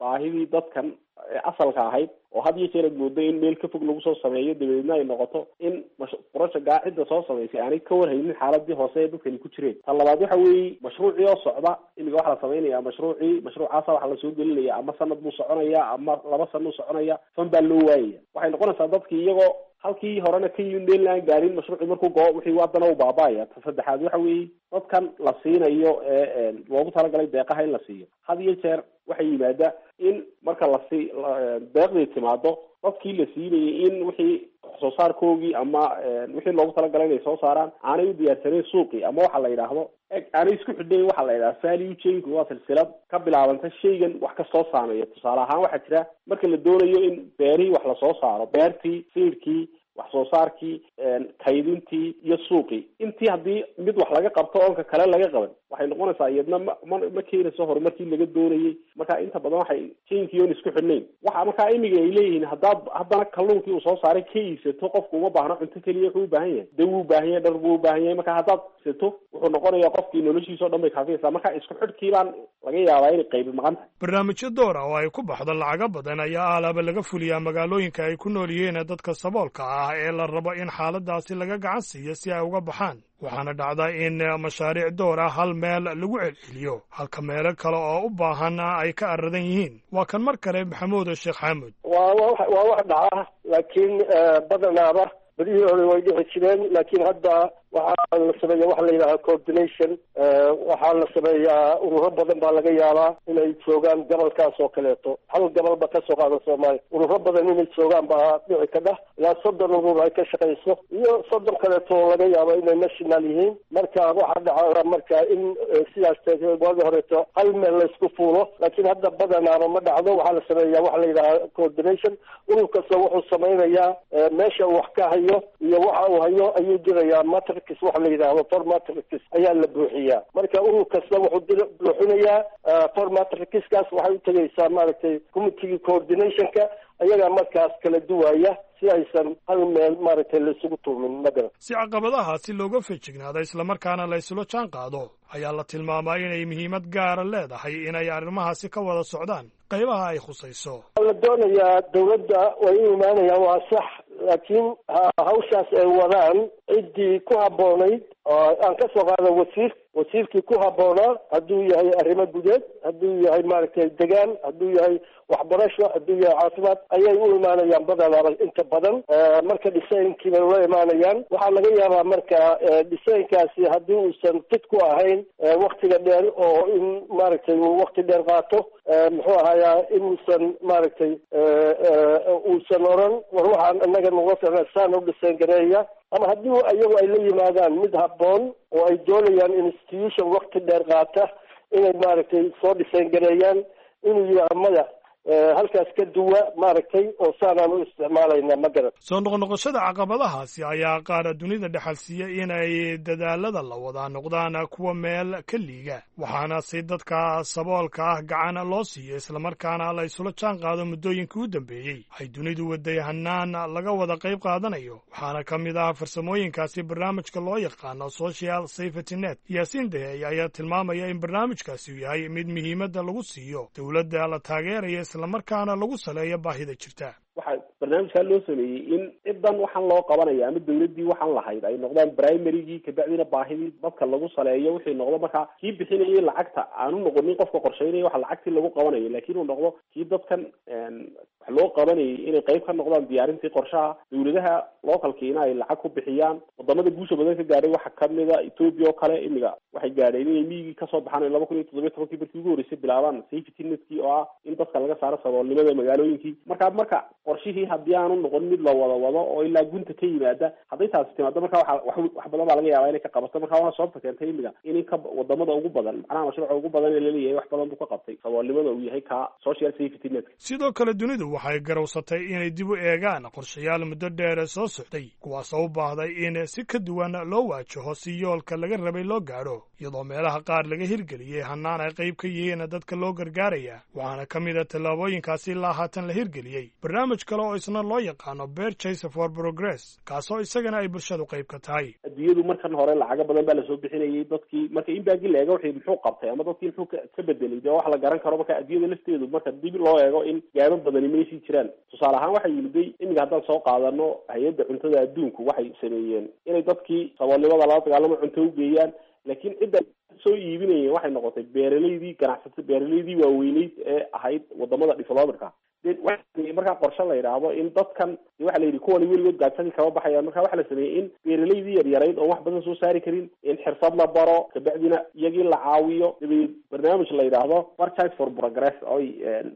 baahidii dadkan asalka ahayd, oo had iyo jeer aad moodo in meel ka fog lagu soo sameeyo, dabadeedna ay noqoto in projectgaa cidda soo samaysay aanay ka warhaynin xaaladii hoose ee dadkani ku jireen. Tan labaad waxa weeye mashruucii oo socda imiga waxaa la samaynaya mashruucii mashruucaasa waxaa lasoo gelinaya ama sanad buu soconaya ama laba sana buu soconaya, fan baa loo waayaya. Waxay noqonaysaa dadkii iyagoo halkii horena ka yimid meel aan gaarin mashruucii markuu goo wixii haddana uu baaba'aya. Ta saddexaad waxa weeye dadkan la siinayo ee loogu talagalay deeqaha in la siiyo, had iyo jeer waxay yimaada in marka lasii deeqdii timaado dadkii la siinayay in wixii wax soo saarkoogii ama wixii loogu talagalay inay soo saaraan aanay u diyaarsanayn suuqii, ama waxa la yidhaahdo aanay isku xidhnayn. Waxa la yidhahda value chainku waa silsilad ka bilaabanta shaygan wax kastoo saameeya. Tusaale ahaan waxaa jira marka la doonayo in beerihii wax lasoo saaro, beertii, siirkii, wax soo saarkii, kaydintii iyo suuqii, intii haddii mid wax laga qabto oonka kale laga qaban, waxay noqonaysaa iyadna ma ma ma keenayso horumarkii laga doonayay. Marka inta badan waxay chainkii oon isku xidhnayn. Waxa markaa imiga ay leeyihiin haddaad haddana kalluunkii uu soo saaray ka iibsato, qofku uma baahno cunto keliya, wuxuu u baahan yahay dawo, u baahan yahay dhar buu u baahan yahay. Marka haddaad iibsato wuxuu noqonayaa qofkii noloshiisa o dhan bay kaafiyaysaa. Marka isku xidhkii baan laga yaabaa inay qaybi maqan tahay. Barnaamijyo door ah oo ay ku baxdo lacago badan ayaa alaaba laga fuliyaa magaalooyinka ay ku nool yihiin dadka saboolka ah ee la rabo in xaaladaasi laga gacan siiyo si ay uga baxaan, waxaana dhacda in mashaariic door ah hal meel lagu celceliyo halka meelo kale oo u baahan ay ka aradan yihiin. Waa kan mar kale Maxamuud Sheekh Xaamud. Waa waa wax dhaca, laakiin badanaaba berihii hore way dhici jireen, laakiin hadda waxaa la sameeya waxa la yidhaha coordination. Waxaa la sameeyaa ururo badan baa laga yaabaa inay joogaan gobolkaas oo kaleeto, hal gobolba kasoo qaada Soomaaliya, ururo badan inay joogaan baa dhici kadha, ilaa soddon urur ay ka shaqayso iyo soddon kaleeto oo laga yaabo inay national yihiin. Marka waxaa dhaca marka in sidaas waagi horeeto hal meel laysku fuulo, laakiin hadda badanaaba ma dhacdo. Waxaa la sameeyaa waxa la yidhaha coordination. Urur kasta wuxuu samaynayaa meesha uu wax ka hayo iyo waxa uu hayo ayuu dirayaa matrix, waxa la yidhaahdo form matrix ayaa la buuxiyaa. Marka urur kasta wuxuu buuxinayaa form matrixkaas, waxay u tegaysaa maaragtay committeegii coordinationka, ayagaa markaas kala duwaya si aysan hal meel maaragtay laisugu tuumin magaran. Si caqabadahaasi looga feejignaado islamarkaana la isula jaan qaado ayaa la tilmaamaa inay muhiimad gaara leedahay inay arrimahaasi ka wada socdaan qaybaha ay khusayso. La doonayaa dawladda way u imaanayaan, waa sax, laakiin hawshaas ay wadaan ciddii ku habboonayd Aan ka soo qaado wasiir, wasiirkii ku habboonaa, hadduu yahay arrimo gudeed, hadduu yahay maaragtay degaan, hadduu yahay waxbarasho, hadduu yahay caafimaad, ayay u imaanayaan badanaaba inta badan. Marka dhisaynkii bay ula imaanayaan. Waxaa laga yaabaa marka dhisaynkaasi haddii uusan fid ku ahayn waktiga dheer oo in maaragtay uu wakti dheer qaato, muxuu ahayaa, inuusan maaragtay uusan oran war waxaan inaga nuga ficna saan u dhisayn gareeya, ama haddii iyagu ay la yimaadaan mid habboon oo ay doonayaan institution wakti dheer qaata inay maaragtay soo dhisayn gareeyaan, inuu yidhaaho maya, halkaas ka duwa maaragtay oo saanaan u isticmaalayna, ma garan. Soo noqnoqoshada caqabadahaasi ayaa qaar dunida dhexal siiya inay dadaalada la wadaa noqdaan kuwa meel ka liiga, waxaana si dadka saboolka ah gacan loo siiyo islamarkaana la isula jaan qaado muddooyinkii u dambeeyey ay dunidu waday hanaan laga wada qayb qaadanayo. Waxaana ka mid ah farsamooyinkaasi barnaamijka loo yaqaano Social Safety Net. Yaasiin Dahey ayaa tilmaamaya in barnaamijkaasi uu yahay mid muhiimadda lagu siiyo dowladda la taageeraya, islamarkaana lagu saleeyo baahida jirta. Waxaa barnaamijkaa loo sameeyey in cidan waxaan loo qabanaya ama dawladdii waxaan lahayd ay noqdaan primarygii, kabacdina baahidii dadka lagu saleeyo wixii noqdo. Markaa kii bixinayay lacagta aanu noqonin qofka qorsheynaya waxa lacagtii lagu qabanayo, laakiin uu noqdo kii dadkan wax loo qabanayay inay qayb ka noqdaan diyaarintii qorshaha, dawladaha localkiina ay lacag ku bixiyaan. Wadamada guusha badan ka gaadhay waxaa kamida Ethiopia oo kale. Imiga waxay gaadheen inay miyigii kasoo baxaan laba kun iyo toddobiyo tobankii markii ugu horreysay bilaabaan safety netkii oo ah in dadka laga saaro saboolnimada magaalooyinkii. Marka marka qorshihii haddii aanu noqon mid la wada wado oo ilaa gunta ka yimaada, hadday taasi timaado, marka waxa wax wax badan baa laga yaabaa inay ka qabato. Marka waana sababta keentay imiga in ka wadamada ugu badan, macnaha mashruuca ugu badan ee laleeyahay wax badan buu ka qabtay saboolnimada, uu yahay ka social safety net. Sidoo kale dunidu waxay garowsatay inay dib u eegaan qorshayaal muddo dheer soo socday, kuwaasoo u baahday in si ka duwan loo waajaho si yoolka laga rabay loo gaadho, iyadoo meelaha qaar laga hirgeliyey hanaan ay qayb ka yihiin dadka loo gargaaraya. Waxaana ka mid a tallaabooyinkaasi ilaa haatan la hirgeliyey barnaamij kale oo isna loo yaqaano Purchase for Progress, kaasoo isagana ay bulshadu qayb ka tahay. Adduunyadu markan hore lacago badan baa lasoo bixinayay dadkii. Marka in baagi la eego wixii muxuu qabtay ama dadkii muxuu ka bedelay, dee wax la garan karo. Marka adduunyada lafteedu marka dib loo eego in gaabo badani maysii jiraan. Tusaale ahaan waxay yimiday imiga haddaan soo qaadano hay-adda cuntada adduunku, waxay sameeyeen inay dadkii saboolnimada lala dagaalamo cunto u geeyaan, laakiin cidda soo iibinayeen waxay noqotay beeralaydii, ganacsata beeralaydii waaweyneyd ee ahayd wadamada developerka. Markaa qorshe la yidhaahdo in dadkan waxa la yidhi kuwani weligood gaajadii kama baxayaan. Marka waxa la sameeyey in beeralaydii yaryarayd oon wax badan soo saari karin in xirfad la baro, kabacdina iyagii la caawiyo. Dabadeed barnaamij la yidhaahdo Purchase for Progress oy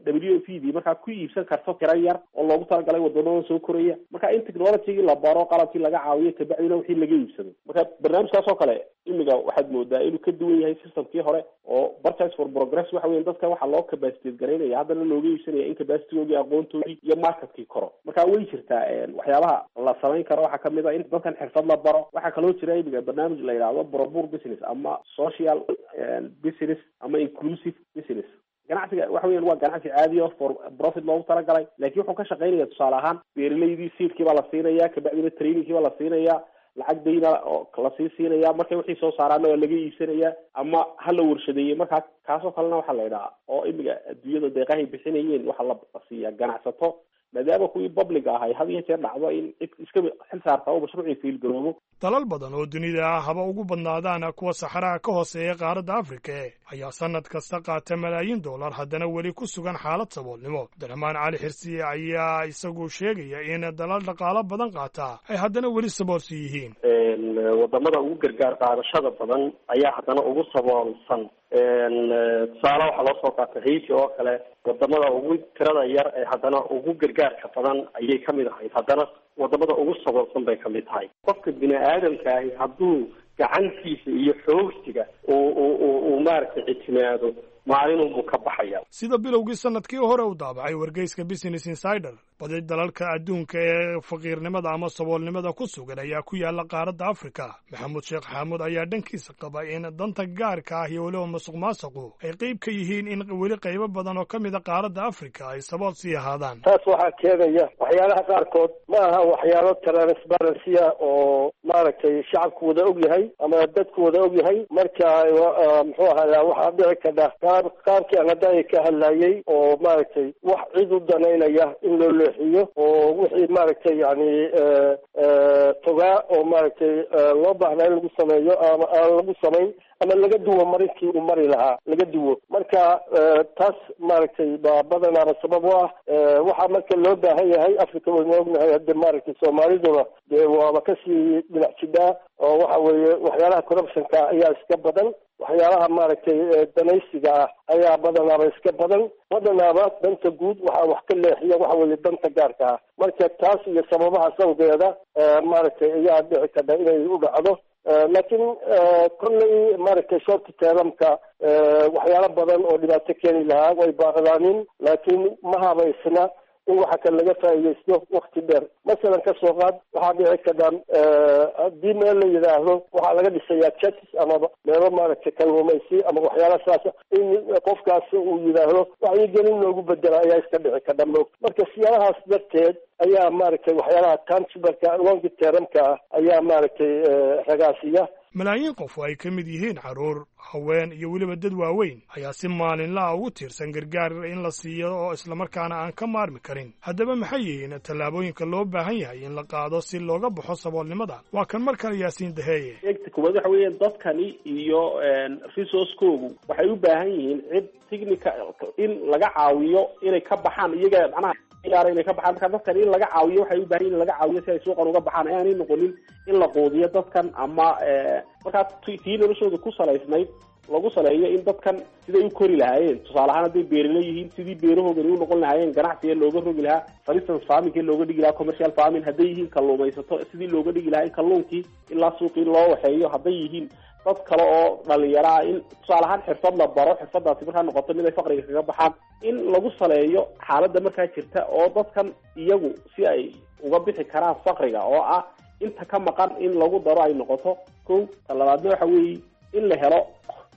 W F D markaa ku iibsan karto tira yar oo loogu talagalay wadamadan soo koraya, marka in technologygii la baro, qalabkii laga caawiyo, kabacdina wixii laga iibsado. Marka barnaamijkaas oo kale imiga waxaad moodaa inuu ka duwan yahay systemkii hore oo Purchase for Progress waxa weya dadka waxaa loo capacitate garaynaya, haddana looga iibsanaya in capacitygoogii, aqoontoodii iyo marketkii koro. Marka way jirtaa waxyaabaha la samayn karo, waxaa kamid a in dadkan xirfad la baro. Waxaa kaloo jira imiga barnaamij la yidhaahdo pro-poor business ama social business ama inclusive business. Ganacsiga waxa weyan waa ganacsi caadi oo for profit loogu talagalay, laakiin wuxuu ka shaqaynaya tusaale ahaan beeralaydii seedkii baa la siinaya, kabacdina trainingkii baa la siinaya, lacag dayna oo lasii siinaya, markay wixii soo saaraana waa laga iibsanaya ama ha la warshadeeyey. Markaa kaasoo kalena waxaa la idhahaa oo imiga adduunyada deeqahay bixinayeen waxaa la siiyaa ganacsato, maadaama kuwii public ahay had iyo jeer dhacdo in cid iska xil saarta oo mashruucii fiilgaroobo. Dalal badan oo dunida ah, haba ugu badnaadaan kuwa saxaraha ka hooseeya qaaradda Afrika, ayaa sannad kasta qaata malaayiin dollar, haddana weli ku sugan xaalad saboolnimo. Cabdiraxmaan Cali Xirsiye ayaa isagu sheegaya in dalal dhaqaalo badan qaata ay haddana weli saboolsi yihiin. Wadamada ugu gargaar qaadashada badan ayaa haddana ugu saboolsan. Tusaale waxaa loo soo qaatay Haiti oo kale, wadamada ugu tirada yar ee haddana ugu gargaarka badan ayay kamid ahayd, haddana wadamada ugu saboolsan bay kamid tahay. Qofka bini aadamka ahi hadduu gacantiisa iyo xoogsiga uu uu uu maaragtay ictimaado, maalinunbuu ka baxaya. Sida bilowgii sanadkii hore u daabacay wargeyska Business Insider, badi dalalka adduunka ee faqiirnimada ama saboolnimada ku sugan ayaa ku yaala qaaradda Afrika. Maxamuud Sheekh Xaamuud ayaa dhankiisa qaba in danta gaarka ah iyo weliba masuq maasuqu ay qayb ka yihiin in weli qaybo badan oo ka mid a qaaradda Afrika ay sabool sii ahaadaan. Taas waxaa keenaya waxyaalaha qaarkood ma aha waxyaalo transparency ah oo maaragtay shacabku wada og yahay ama dadku wada og yahay. Marka muxuu ahaada, waxaa dhici kadha qaab qaabkii aan hadda ka hadlayay oo maaragtay wax cid u danaynaya in loo leexiyo. leexiyo oo wixii maaragtay yani togaa oo maaragtay loo baahnaa in lagu sameeyo ama aan lagu samayn ama laga duwo marinkii uu mari lahaa laga duwo. Marka taas maaragtay baa badanaaba sabab u ah. Waxaa marka loo baahan yahay, Africa waynu ognahay hadda maaragtay Soomaaliduna dee waaba kasii dhinac jidhaa oo waxa weeye waxyaalaha corruptionka ayaa iska badan, waxyaalaha maaragtay danaysiga ah ayaa badanaaba iska badan, badanaaba danta guud waxaa wax ka leexiya waxa weeye danta gaarka ah. Marka taas iyo sababahaas awgeeda maaragtay ayaa dhici karta inay u dhacdo. Laakiin kolley maaragtay short termka waxyaalo badan oo dhibaato keeni lahaa way baaqdaanin, laakiin ma habaysna in waxa kale laga faa'iidaysto wakti dheer. Masalan kasoo qaad, waxaa dhici karta haddii meel la yidhaahdo waxaa laga dhisayaa churches ama meelo maaragtay kalluumaysi ama waxyaala saasa, in qofkaasi uu yidhaahdo wacyigelin loogu bedela ayaa iska dhici karta moog. Marka siyaalahaas darteed ayaa maaragtay waxyaalaha tangibleka long termka ah ayaa maaragtay ragaasiya. Malaayiin qof oo ay ka mid yihiin carruur, haween iyo weliba dad waaweyn ayaa si maalinlaha ugu tiirsan gargaar in la siiyo oo islamarkaana aan ka maarmi karin. Haddaba maxay yihiin tallaabooyinka loo baahan yahay in la qaado si looga baxo saboolnimada? Waa kan mar kale Yaasiin Daheeye. Eegta koowaad waxa weeye dadkani iyo resource-koogu waxay u baahan yihiin cid technical in laga caawiyo inay ka baxaan iyaga, macnaha inay ka baxaan. Marka dadkan in laga caawiyo waxay u baahan yihin in laga caawiyo si ay suuqan uga baxaan, aanay noqonin in la quudiyo dadkan ama markaa tii noloshooda ku salaysnayd lagu saleeyo in dadkan siday u kori lahaayeen. Tusaale ahaan hadday beerale yihiin, sidii beerahoogani u noqon lahaayeen ganacsiga looga rogi lahaa, for instance farmingkii looga dhigi lahaa commercial farming. Hadday yihiin kalluumaysato, sidii looga dhigi lahaa in kalluunkii ilaa suuqii loo waxeeyo. Hadday yihiin dad kale oo dhalinyaro ah, in tusaale ahaan xirfad la baro, xirfadaasi markaa noqoto mid ay faqriga kaga baxaan. In lagu saleeyo xaaladda markaa jirta oo dadkan iyagu si ay uga bixi karaan faqriga oo ah inta ka maqan in lagu daro ay noqoto kow. Ta labaadna waxa weeye in la helo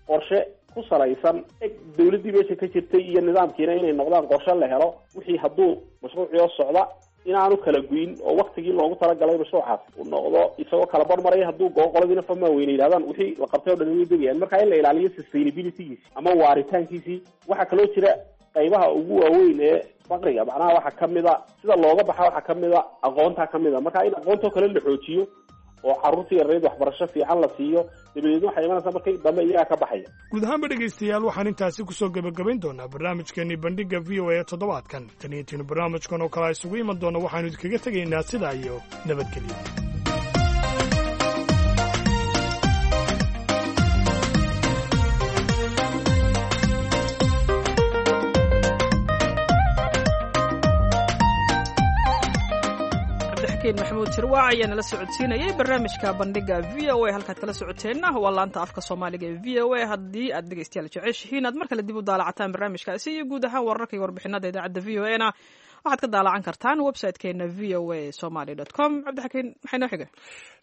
qorshe ku salaysan eg dawladdii meesha ka jirtay iyo nidaamkiina inay noqdaan qorshe la helo wixii hadduu mashruucii socda inaanu kala guyin oo waktigii loogu talagalay mashruucaas uu noqdo isagoo kala barmaraya. Hadduu goo qoladiina famaa weyne yidhahdaan wixii la qabtay o dhan way degayaan. Marka in la ilaaliyo sustainabilitygiisi ama waaritaankiisii. Waxaa kaloo jira qaybaha ugu waaweyn ee faqriga, macnaha waxaa kamid a sida looga baxa, waxaa kamid a aqoontaa kamid a. Marka in aqoontoo kale la xoojiyo oo carruurta yareyd waxbarasho fiican la siiyo, dabadeedna waxay imanaysaa markay dambe iyagaa ka baxaya. Guud ahaanba dhegaystayaal, waxaan intaasi kusoo gebagabayn doonaa barnaamijkeenii bandhigga V O A toddobaadkan. Tan iyo tiinu barnaamijkan oo kale isugu iman doona, waxaanu idinkaga tegaynaa sidaa iyo nabadgelyo. Maxamuud Shirwaac ayaa nala socodsiinayay barnaamijka bandhiga V O A. Halkaad kala socoteenna waa laanta afka Soomaaliga ee V O A. Haddii aad dhegeystayaal jeceshihiin aad mar kale dib u daalacataan barnaamijkaasi iyo guud ahaan wararka iyo warbixinada idaacadda V O A na waxaad ka daalacan kartaan website-keena v o a somaly dot com. Cabdixakiin, maxay noo xiga?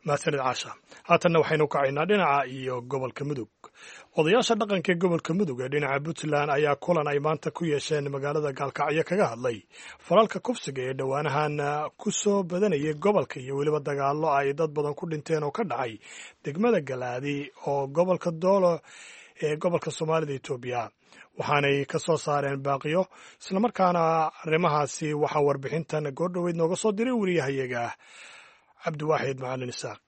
Mahadsanid Caasha. Haatanna waxaynu kacaynaa dhinaca iyo gobolka Mudug. Odayaasha dhaqanka ee gobolka Mudug ee dhinaca Puntland ayaa kulan ay maanta ku yeesheen magaalada Gaalkacyo kaga hadlay falalka kufsiga ee dhowaanahan ku soo badanayay gobolka iyo weliba dagaallo ay dad badan ku dhinteen oo ka dhacay degmada Galaadi oo gobolka Doolo ee gobolka Soomaalida Etoobiya. Waxaanay ka soo saareen baaqiyo islamarkaana arrimahaasi waxaa warbixintan goordhoweyd nooga soo diray wariyahayaga Cabdiwaaxid Macalin Isaaq.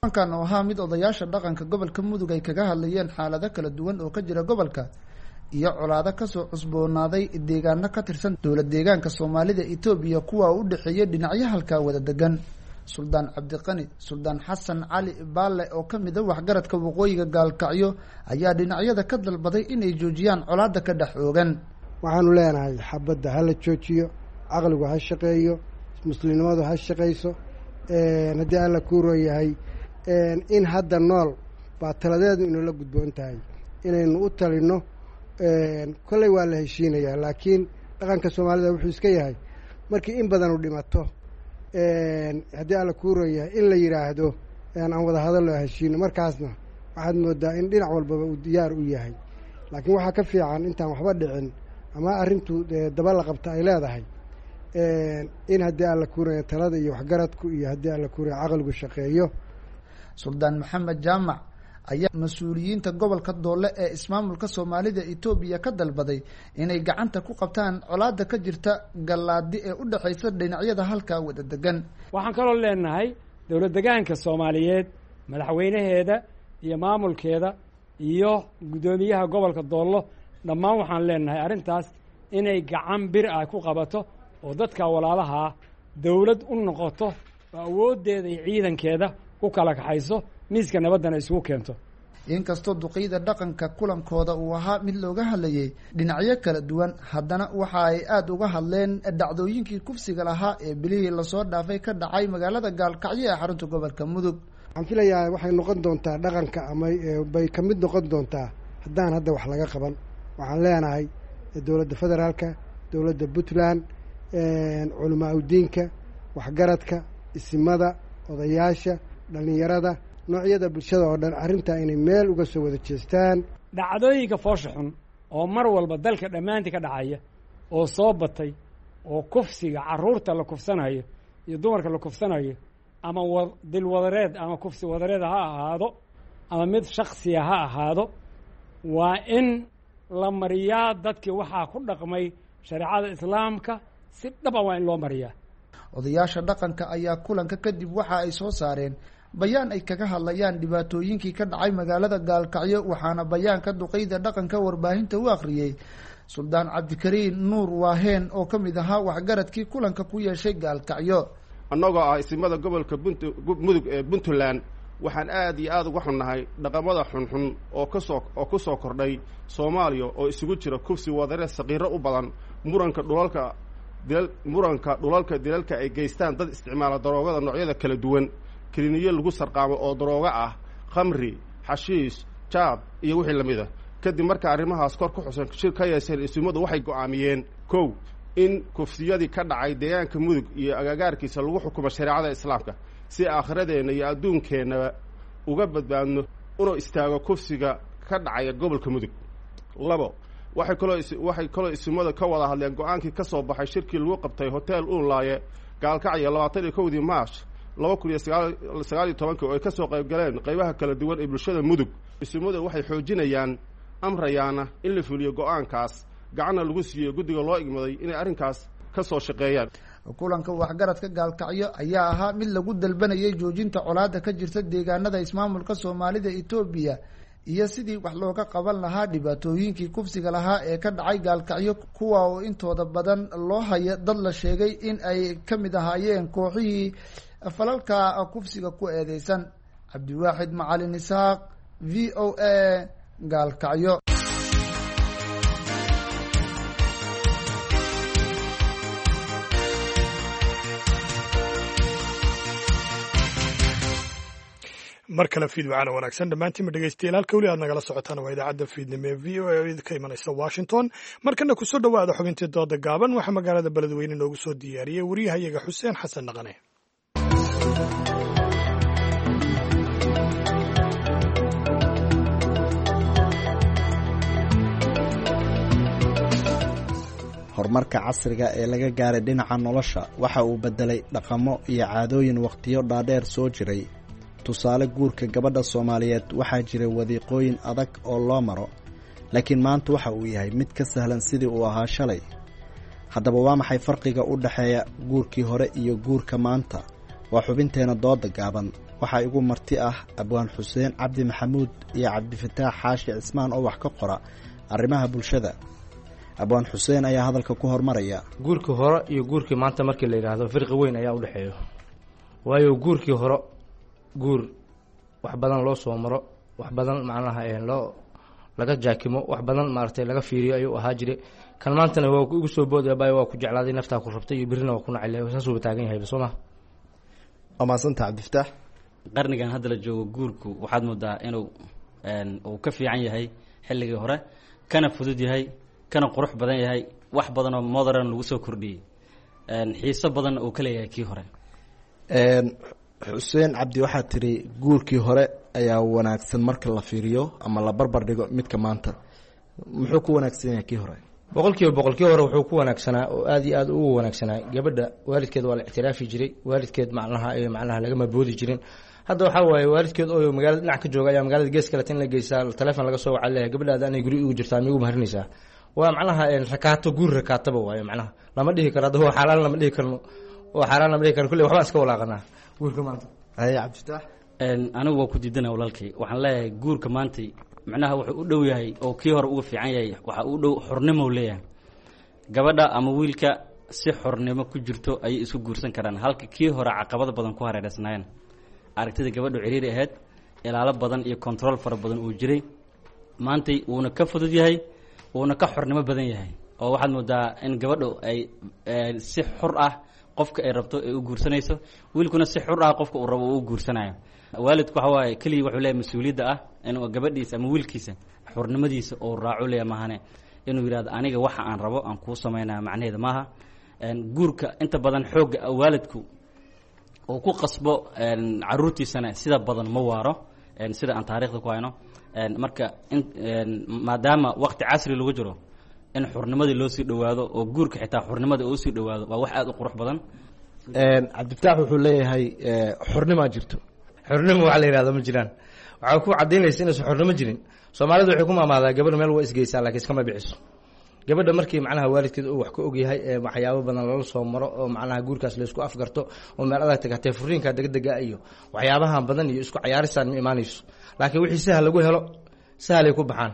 Kulankan oo ahaa mid odayaasha dhaqanka gobolka Mudug ay kaga hadlayeen xaalado kala duwan oo ka jira gobolka iyo colaado kasoo cusboonaaday deegaano ka tirsan dowlad deegaanka Soomaalida Itoobiya, kuwa u dhexeeya dhinacyo halkaa wada degan. Suldaan Cabdiqani Suldaan Xasan Cali Baalle oo ka mid a waxgaradka waqooyiga Gaalkacyo ayaa dhinacyada ka dalbaday inay joojiyaan colaada ka dhex oogan. Waxaanu leenahay xabadda ha la joojiyo, caqligu ha shaqeeyo, muslimnimadu ha shaqayso. Haddii Alla kuuroo yahay in hadda nool baa taladeedu inoola gudboon tahay inaynu u talino. Kolley waa la heshiinayaa, laakiin dhaqanka Soomaalida wuxuu iska yahay markii in badanu dhimato, haddii Alla kuuroo yahay in la yidhaahdo aan wada hadallo heshiino, markaasna waxaad moodaa in dhinac walbaba uu diyaar u yahay. Laakiin waxaa ka fiican intaan waxba dhicin ama arrintu daba la qabta ay leedahay in haddii Alla kuuraya talada iyo waxgaradku iyo haddii Alla kuuraya caqligu shaqeeyo. Suldaan Maxamed Jaamac ayaa mas-uuliyiinta gobolka Doole ee ismaamulka Soomaalida Itoobiya ka dalbaday inay gacanta ku qabtaan colaadda ka jirta Gallaadi ee u dhexaysa dhinacyada halkaa wada degan. Waxaan kaloo leenahay dowlad degaanka Soomaaliyeed, madaxweynaheeda iyo maamulkeeda iyo guddoomiyaha gobolka Doollo, dhammaan waxaan leenahay arrintaas inay gacan bir ah ku qabato oo dadka walaalaha ah dowlad u noqoto oo awooddeeda iyo ciidankeeda u kala kaxayso, miiska nabaddana isugu keento. Inkastoo duqeyda dhaqanka kulankooda uu ahaa mid looga hadlayay dhinacyo kala duwan, haddana waxa ay aada uga hadleen dhacdooyinkii kufsiga lahaa ee bilihii lasoo dhaafay ka dhacay magaalada Gaalkacyo ee xarunta gobolka Mudug. Waxaan filayaa waxay noqon doontaa dhaqanka ama bay ka mid noqon doontaa haddaan hadda wax laga qaban. Waxaan leenahay dowladda federaalka, dowladda Puntland, culamaa udiinka, waxgaradka, isimada, odayaasha, dhallinyarada, noocyada bulshada oo dhan arrintaa inay meel uga soo wada jeestaan. Dhacdooyinka foosha xun oo mar walba dalka dhammaantii ka dhacaya oo soo batay oo kufsiga carruurta la kufsanayo iyo dumarka la kufsanayo, ama wa dilwadareed ama kufsi wadareed ha ahaado ama mid shaksiya ha ahaado, waa in la mariyaa dadkii waxaa ku dhaqmay shareecada islaamka si dhab a waa in loo mariyaa. Odayaasha dhaqanka ayaa kulanka kadib waxa ay soo saareen bayaan ay kaga hadlayaan dhibaatooyinkii ka dhacay magaalada Gaalkacyo, waxaana bayaanka duqeyda dhaqanka warbaahinta u akhriyey Suldaan Cabdikariin Nuur Waaheen oo ka mid ahaa waxgaradkii kulanka ku yeeshay Gaalkacyo. Annagoo ah isimada gobolka Mudug ee Puntland, waxaan aad iyo aada uga xunnahay dhaqamada xunxun oo kasoo oo ku soo kordhay Soomaaliya oo isugu jira kufsi wadare saqiiro u badan, muranka dhulalka dilal muranka dhulalka dilalka ay geystaan dad isticmaala daroogada noocyada kala duwan, keliniyo lagu sarqaamo oo daroogo ah, khamri, xashiish, jaab iyo wixii lamid a. Kadib marka arrimahaas kor ku xusan shir ka yeesheen isimadu waxay go'aamiyeen: kow, in kufsiyadii ka dhacay deegaanka Mudug iyo agagaarkiisa lagu xukumo shareecada islaamka si aakhiradeenna iyo adduunkeennaba uga badbaadno, una istaago kufsiga ka dhacaya gobolka Mudug. Labo, waxay kaloo waxay kaloo isimada ka wada hadleen go-aankii ka soo baxay shirkii lagu qabtay hotel Uunlaaye Gaalkacyo labaatan iyo kowdii Maash laba kun iyo sagaal sagaal iyo tobankii oo ay ka soo qayb galeen qaybaha kala duwan ee bulshada Mudug. Isimadu waxay xoojinayaan amrayaana in la fuliyo go-aankaas, gacanna lagu siiyo guddiga loo igmaday inay arrinkaas ka soo shaqeeyaan. Kulanka waxgaradka Gaalkacyo ayaa ahaa mid lagu dalbanayay joojinta colaadda ka jirta deegaanada ismaamulka Soomaalida Itoobiya iyo sidii wax looga qaban lahaa dhibaatooyinkii kufsiga lahaa ee ka dhacay Gaalkacyo, kuwa oo intooda badan loo haya dad la sheegay in ay ka mid ahaayeen kooxihii falalka kufsiga ku eedeysan. Cabdiwaaxid Macalin Isaaq, V O A, Gaalkacyo. Mar kale fiid wacana wanaagsan dhammaantiinba dhegeystayaal. Halka weli aad nagala socotaan waa idaacadda fiidnimo ee V O A oo idinka imanaysa Washington. Markana kusoo dhowaada xubintii dooda gaaban. Waxaa magaalada Beledweyne noogu soo diyaariyey wariyahayaga Xuseen Xasan Dhaqane. Horumarka casriga ee laga gaaray dhinaca nolosha waxa uu beddelay dhaqamo iyo caadooyin wakhtiyo dhaadheer soo jiray. Tusaale, guurka gabadha Soomaaliyeed waxaa jiray wadiiqooyin adag oo loo maro, laakiin maanta waxa uu yahay mid ka sahlan sidii uu ahaa shalay. Haddaba waa maxay farqiga u dhexeeya guurkii hore iyo guurka maanta? Waa xubinteena dooda gaaban. Waxaa igu marti ah Abwaan Xuseen Cabdi Maxamuud iyo Cabdifataax Xaashi Cismaan oo wax ka qora arrimaha bulshada. Abwaan Xuseen ayaa hadalka ku hormaraya. Guurkii hore iyo guurkii maanta markii la yidhaahdo firqi weyn ayaa u dhexeeyo, waayo guurkii hore guur wax badan loo soo maro, wax badan macnaha loo laga jaakimo, wax badan maaragtay laga fiiriyo ayuu ahaa jiray. Kan maantana waa igu soo boodaya, baay waa ku jeclaaday, naftaa ku rabtay iyo birrina waa ku nacay, saasuuba taagan yahayba, soo ma? Waa mahadsanta Cabdifataax. Qarnigan hadda la joogo guurku waxaad moodaa inuu uu ka fiican yahay xilligii hore, kana fudud yahay, kana qurux badan yahay, wax badan oo modern lagu soo kordhiyey, xiiso badan uu ka leeyahay kii hore. Xuseen Cabdi, waxaad tidhi guurkii hore ayaa wanaagsan marka la fiiriyo ama la barbar dhigo midka maanta. Muxuu ku wanaagsan yahay kii hore? Boqol kiiba boqol kii hore wuxuu ku wanaagsanaa oo aada iyo aada ugu wanaagsanaa, gabadha waalidkeed waa la ictiraafi jiray, waalidkeed macnaha macnaha lagama boodi jirin. Hadda waxaa waaye waalidkeed oo magaalada dhinac ka jooga ayaa magaalada gees kaleta in la geysaa, telefoon laga soo wacaa, leeyahay gabadhaada anay guri ugu jirtaa, miigu maharinaysaa? Waa macnaha rakaato, guur rakaataba waayo. Macnaha lama dhihi karo hadda waa xaaraan, lama dhihi karno waa xaaraan, lama dhihi karno. Kulley waxbaan iska walaaqanaa guurka maanta. Haye Cabdifatax. Anigu waa ku diidana walaalkay. Waxaan leeyahay guurka maantay macnaha wuxuu u dhow yahay oo kii hore uga fiican yahay, waxa uu dhow xornimo leeyahay. Gabadha ama wiilka si xornimo ku jirto ayay isku guursan karaan, halka kii hore caqabado badan ku hareereysnaayeen, aragtida gabadhu ciriiri ahayd, ilaalo badan iyo control fara badan uu jiray. Maantay wuuna ka fudud yahay, wuuna ka xornimo badan yahay, oo waxaad moodaa in gabadhu ay si xur ah qofka ay rabto ay u guursanayso, wiilkuna si xur ah qofka uu rabo uu u guursanayo. Waalidku waxa waaye keligii wuxuu leeyahay mas-uuliyadda ah inuu gabadhiisa ama wiilkiisa xornimadiisa uu raaco leeyahay, maahane inuu yidhahdo aniga waxa aan rabo aan kuu samaynaya macnaheeda maaha. Guurka inta badan xoogga waalidku uu ku qasbo caruurtiisana sida badan ma waaro, sida aan taariikhda ku hayno. Marka in maadaama waqti casri lagu jiro, in xurnimadii loo sii dhowaado oo guurka xitaa xurnimada uu sii dhowaado waa wax aada u qurux badan. Cabdifatax wuxuu leeyahay xornimaa jirto. Xornimo waxa la yihahdo ma jiraan. Waxaa ku caddaynaysa inaysan xornimo jirin, Soomaalidu waxay ku maamaadaa gabadha meel waa isgeysaa laakiin iskama bixiso. Gabadha markii macnaha waalidkeed uu wax ka ogyahay ee waxyaabo badan lala soo maro oo macnaha guurkaas laysku afgarto oo meel adag tagatee, furiinka degdega iyo waxyaabahan badan iyo isku cayaarisaan ma imaanayso. Laakiin wixii sahal lagu helo sahalay ku baxaan,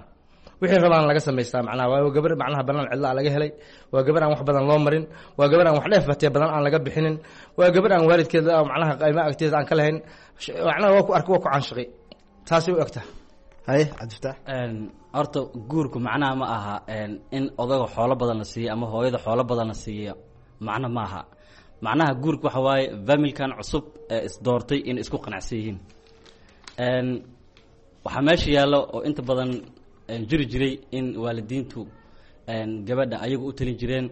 wixii rabaan laga samaystaa. Macnaha waa gabar macnaha banaan cidla laga helay, waa gabar aan wax badan loo marin, waa gabar aan wax dheef batee badan aan laga bixinin, waa gabar aan waalidkeeda macnaha qayma agteeda aan ka lahayn. Macnaha waa ku arki, waa ku caanshaqay, taasay u egtahay. Haye Cabdifatax. Horta guurku macnaha ma aha in odaga xoolo badan la siiyo ama hooyada xoolo badan la siiyo, macno ma aha. Macnaha guurku waxa waaye familkan cusub ee isdoortay inay isku qanacsan yihiin. Waxaa meesha yaallo oo inta badan jiri jiray in waalidiintu gabadha ayagu u talin jireen,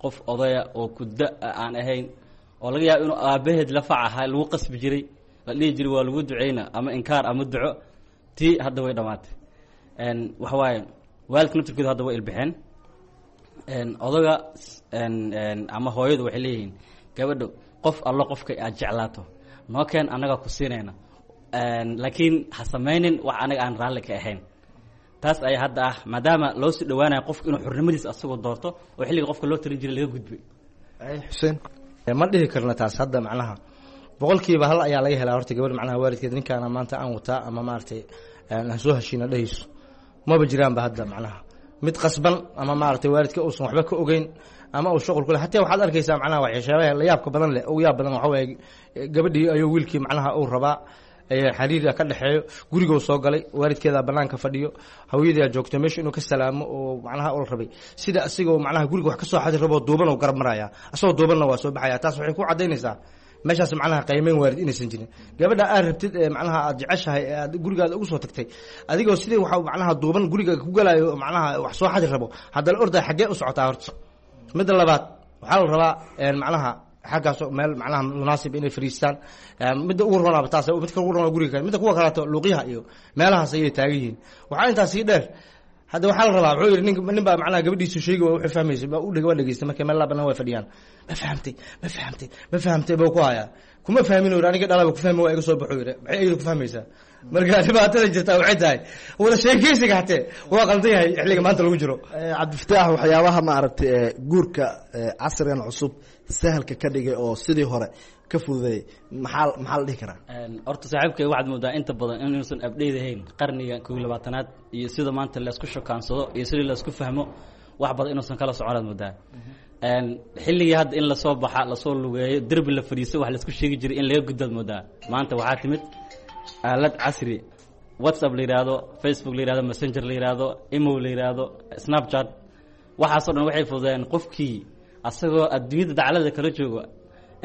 qof odaya oo kudda aan ahayn oo laga yaabo inuu aabaheed la fac ahaa lagu qasbi jiray, la dhihi jiray waa lagu duceyna ama inkaar ama duco. Tii hadda way dhammaatay. Waxa waaye waalidka naftirkooda hadda way ilbixeen. Odaga ama hooyadu waxay leeyihiin gabadho qof allo qofka aad jeclaato noo keen, annagaa ku siinayna, laakiin ha samaynin wax anaga aan raalli ka ahayn. Taas ayaa hadda ah maadaama loo sii dhawaanayo qofku inuu xornimadiisa asagoo doorto oo xilliga qofka loo talin jiray laga gudbay. Xuseen, ma dhihi karna taas hadda. Macnaha boqolkiiba hal ayaa laga helaa horta gabadh macnaha waalidkeed ninkaana maanta aan wataa ama maaragtay aan soo heshiina dhehayso, maba jiraanba hadda. Macnaha mid qasban ama maaragtay waalidka uusan waxba ka ogeyn ama uu shuqul kule hataa waxaad arkaysaa macnaha waxyaabaha la yaabka badan leh, ugu yaab badan waxa waaye gabadhii ayuu wiilkii macnaha uu rabaa, xiriira ka dhexeeyo, guriguu soo galay, waalidkeedaa banaanka fadhiyo, hawyadaa joogto meesha, inuu ka salaamo oo macnaha ula rabay sida asigoo macnaha guriga wax ka soo xadi raboo duuban oo garab maraya, asagoo duubanna waa soo baxaya. Taas waxay ku caddaynaysaa meeshaas macnaha qiimeyn waalid inaysan jirin. Gabadha aad rabtid ee macnaha aad jeceshahay ee aad gurigaada ugu soo tagtay, adigoo sidii waxa macnaha duuban guriga ku galayo macnaha wax soo xadi rabo, haddana orday xaggee u socotaa horta? Midda labaad waxaa la rabaa macnaha xaggaas meel macnaha munaasib inay fariistaan. Midda ugu ronaaba taas, midka ugu ronaa guriga, midda kuwa kaleeto luuqyaha iyo meelahaas ayay taagan yihiin. Waxaa intaas sii dheer, hadda waxaa la rabaa wuxuu yidhi nin nin baa macnaha gabadhiisu sheegi waa wuxuu fahmaysa baa u dheg waa dhegeystay markay meel laa banaan way fadhiyaan. Ma fahamtay, ma fahamtay, ma fahamtay buu ku hayaa. Kuma fahmin uu yidhi, aniga dhalaba ku fahmi waa iga soo baxuu yidhi. Maxay iyadu ku fahmaysaa? Marka dhibaatada jirtaa waxay tahay wada sheekeysiga hatee waa qaldan yahay xilliga maanta lagu jiro. Cabdifataax, waxyaabaha maaragtay ee guurka casrigan cusub sahalka ka dhigay oo sidii hore ka fududeeyay maxaa maxaa la dhihi karaa? Horta saaxiibkay waxaad moodaa inta badan inuusan abdheyd ahayn qarniga kow iyo labaatanaad iyo sida maanta laysku shukaansado iyo sidii laysku fahmo, wax badan inuusan kala soconaad moodaa. Xilligii hadda in lasoo baxa, lasoo lugeeyo, derbi la fadhiiso, wax laisku sheegi jiray in laga gudbaad moodaa. Maanta waxaa timid aalad casri, WhatsApp la yidhaahdo, Facebook la yihahdo, Messenger la yidhaahdo, imo la yidhaahdo, Snapchat. Waxaasoo dhan waxay fududeen qofkii asagoo adduunyada daclada kala joogo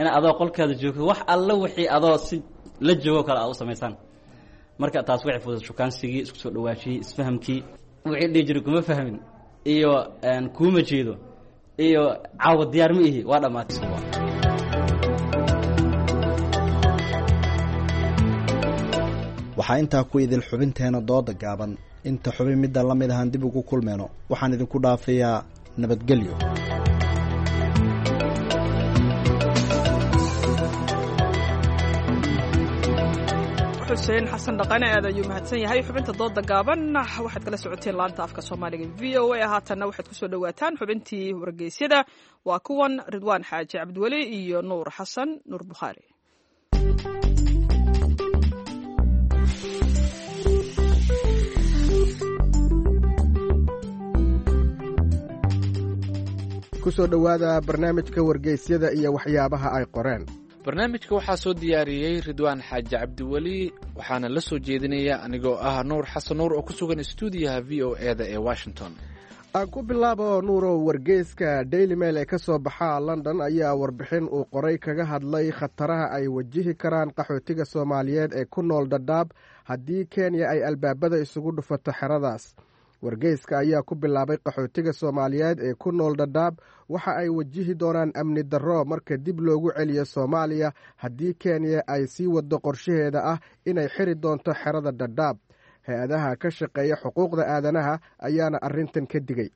in adoo qolkaada joogto wax alla wixii adoo si la joogo kale aad u samaysaan. Marka taas waxay fududeen shukaansigii, isku soo dhawaashiyey, isfahamkii. Wixii dhihi jiray kuma fahmin iyo kuuma jeedo iyo caawa diyaar ma ihi waa dhammaatay. Waxaa intaa ku idil xubinteena dooda gaaban. Inta xubin midda la mid ahaan dib ugu kulmeyno, waxaan idinku dhaafayaa nabadgelyo. Xuseen Xasan Dhaqane aad ayuu mahadsan yahay. Xubinta dooda gaaban waxaad kala socoteen laanta afka Soomaaliga V O A. Haatanna waxaad kusoo dhowaataan xubintii wargeysyada. Waa kuwan Ridwaan Xaaji Cabdiweli iyo Nuur Xasan Nuur Bukhaari. Kusoo dhowaada barnaamijka wargeysyada iyo waxyaabaha ay qoreen. Barnaamijka waxaa soo diyaariyey Ridwaan Xaaji Cabdiweli, waxaana la soo jeedinaya anigoo ah Nuur Xasan Nuur oo ku sugan istuudiyaha V O E da ee Washington. Aan ku bilaabo, Nuurow, wargeyska Daily Mail ee ka soo baxa London ayaa warbixin uu qoray kaga hadlay khataraha ay wajihi karaan qaxootiga Soomaaliyeed ee ku nool Dhadhaab haddii Kenya ay albaabada isugu dhufato xeradaas. Wargeyska ayaa ku bilaabay, qaxootiga Soomaaliyeed ee ku nool Dhadhaab waxa ay wajihi doonaan amni darro marka dib loogu celiyo Soomaaliya haddii Kenya ay sii waddo qorshaheeda ah inay xiri doonto xerada Dhadhaab. Hay-adaha ka shaqeeya xuquuqda aadanaha ayaana arrintan ka digay.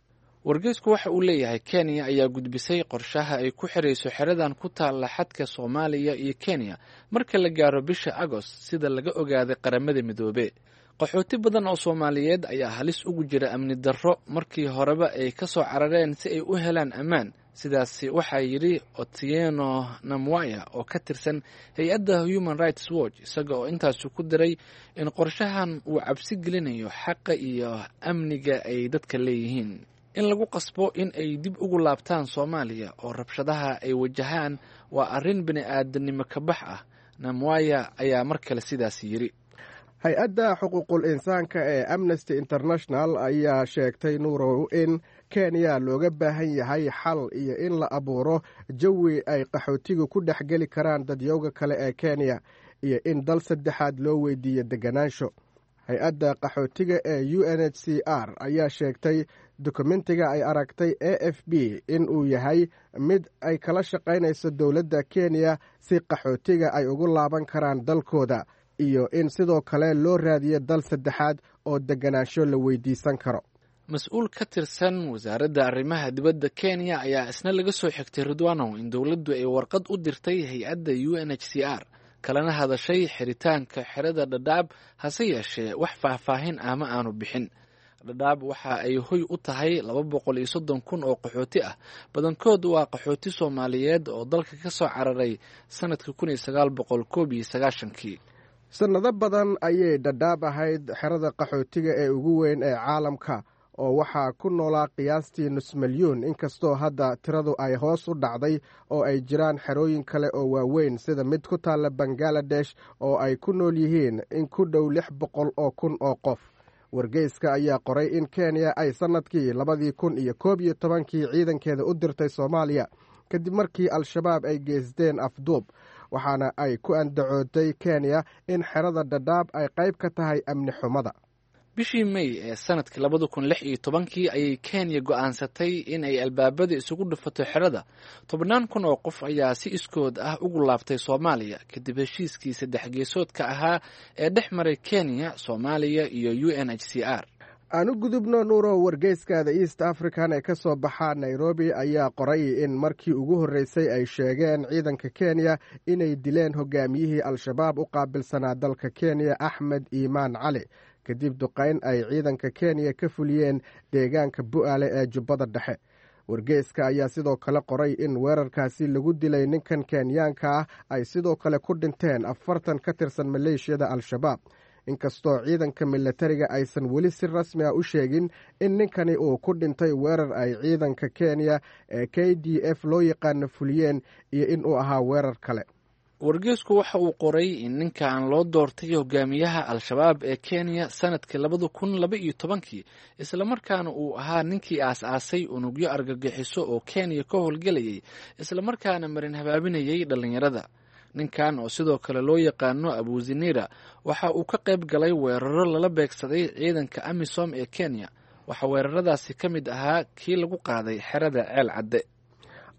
Wargeysku waxa uu leeyahay, Kenya ayaa gudbisay qorshaha ay ku xirayso xeradan ku taalla xadka Soomaaliya iyo Kenya marka la gaaro bisha Agost, sida laga ogaaday Qaramada Midoobe. Qaxooti badan oo Soomaaliyeed ayaa halis ugu jira amni darro markii horeba ay ka soo carareen si ay u helaan ammaan. Sidaasi waxaa yidhi Otieno Namwaya oo ka tirsan hay-adda Human Rights Watch, isaga oo intaasi ku diray in qorshahan uu cabsi gelinayo xaqa iyo amniga ay dadka leeyihiin. In lagu qasbo in ay dib ugu laabtaan Soomaaliya oo rabshadaha ay wajahaan waa arrin bini-aadanimo ka bax ah. Namwaya ayaa mar kale sidaasi yidhi. Hay-adda xuquuqul insaanka ee Amnesty International ayaa sheegtay, Nuurow, in Kenya looga baahan yahay xal iyo in la abuuro jawi ay qaxootigu ku dhex geli karaan dadyowga kale ee Kenya iyo in dal saddexaad loo weydiiyo deganaansho. Hay-adda qaxootiga ee U N H C R ayaa sheegtay dokumentiga ay aragtay A F B in uu yahay mid ay kala shaqaynayso dowladda Kenya si qaxootiga ay ugu laaban karaan dalkooda iyo in sidoo kale loo raadiyo dal saddexaad oo deganaansho la weydiisan karo. Mas-uul ka tirsan wasaaradda arrimaha dibadda Kenya ayaa isna laga soo xigtay, Ridwanow, in dowladdu ay warqad u dirtay hay-adda U N H C R kalena hadashay xiritaanka xerada Dhadhaab, hase yeeshee wax faahfaahin ah ma aanu bixin. Dhadhaab waxa ay hoy u tahay laba boqol iyo soddon kun oo qaxooti ah, badankood waa qaxooti Soomaaliyeed oo dalka ka soo cararay sanadka kun iyo sagaal boqol koob iyo sagaashankii. Sannado badan ayay Dhadhaab ahayd xerada qaxootiga ee ugu weyn ee caalamka, oo waxaa ku noolaa qiyaastii nus milyuun, inkastoo hadda tiradu ay hoos u dhacday oo ay jiraan xerooyin kale oo waaweyn sida mid ku taalla Bangaladesh oo ay ku nool yihiin in ku dhow lix boqol oo kun oo qof. Wargeyska ayaa qoray in Kenya ay sannadkii labadii kun iyo koob iyo tobankii ciidankeeda u dirtay Soomaaliya kadib markii Al-Shabaab ay geysteen afduub, waxaana ay ku andacootay Kenya in xerada Dhadhaab ay qayb ka tahay amni xumada. Bishii May ee sanadkii labada kun lix iyo tobankii ayay Kenya go'aansatay in ay albaabada isugu dhufato xerada. Tobannaan kun oo qof ayaa si iskood ah ugu laabtay Soomaaliya kadib heshiiskii saddex geesoodka ahaa ee dhex maray Kenya, Soomaaliya iyo U N H C R. Aan u gudubno, Nuuro, wargeyska The East African ee ka soo baxa Nairobi ayaa qoray in markii ugu horreysay ay sheegeen ciidanka Kenya inay dileen hogaamiyihii Al-Shabaab u qaabilsanaa dalka Kenya, Axmed Iimaan Cali, kadib duqayn ay ciidanka Kenya ka fuliyeen deegaanka Bu'aale ee Jubbada Dhexe. Wargeyska ayaa sidoo kale qoray in weerarkaasi lagu dilay ninkan Kenyaanka ah ay sidoo kale ku dhinteen afartan ka tirsan maleeshiyada Al-Shabaab, inkastoo ciidanka milatariga aysan weli si rasmi ah u sheegin in ninkani uu ku dhintay weerar ay ciidanka Kenya ee K D F loo yaqaano fuliyeen iyo in uu ahaa weerar kale. Wargeysku waxa uu qoray in ninkan loo doortay hogaamiyaha Al-Shabaab ee Kenya sanadkii labada kun laba iyo tobankii, islamarkaana uu ahaa ninkii aas-aasay unugyo argagixiso oo Kenya ka howlgelayay, islamarkaana marin habaabinayay dhallinyarada. Ninkan oo sidoo kale loo yaqaano Abuzinira waxa uu ka qayb galay weeraro lala beegsaday ciidanka AMISOM ee Kenya. Waxaa weeraradaasi ka mid ahaa kii lagu qaaday xerada Ceel Cadde.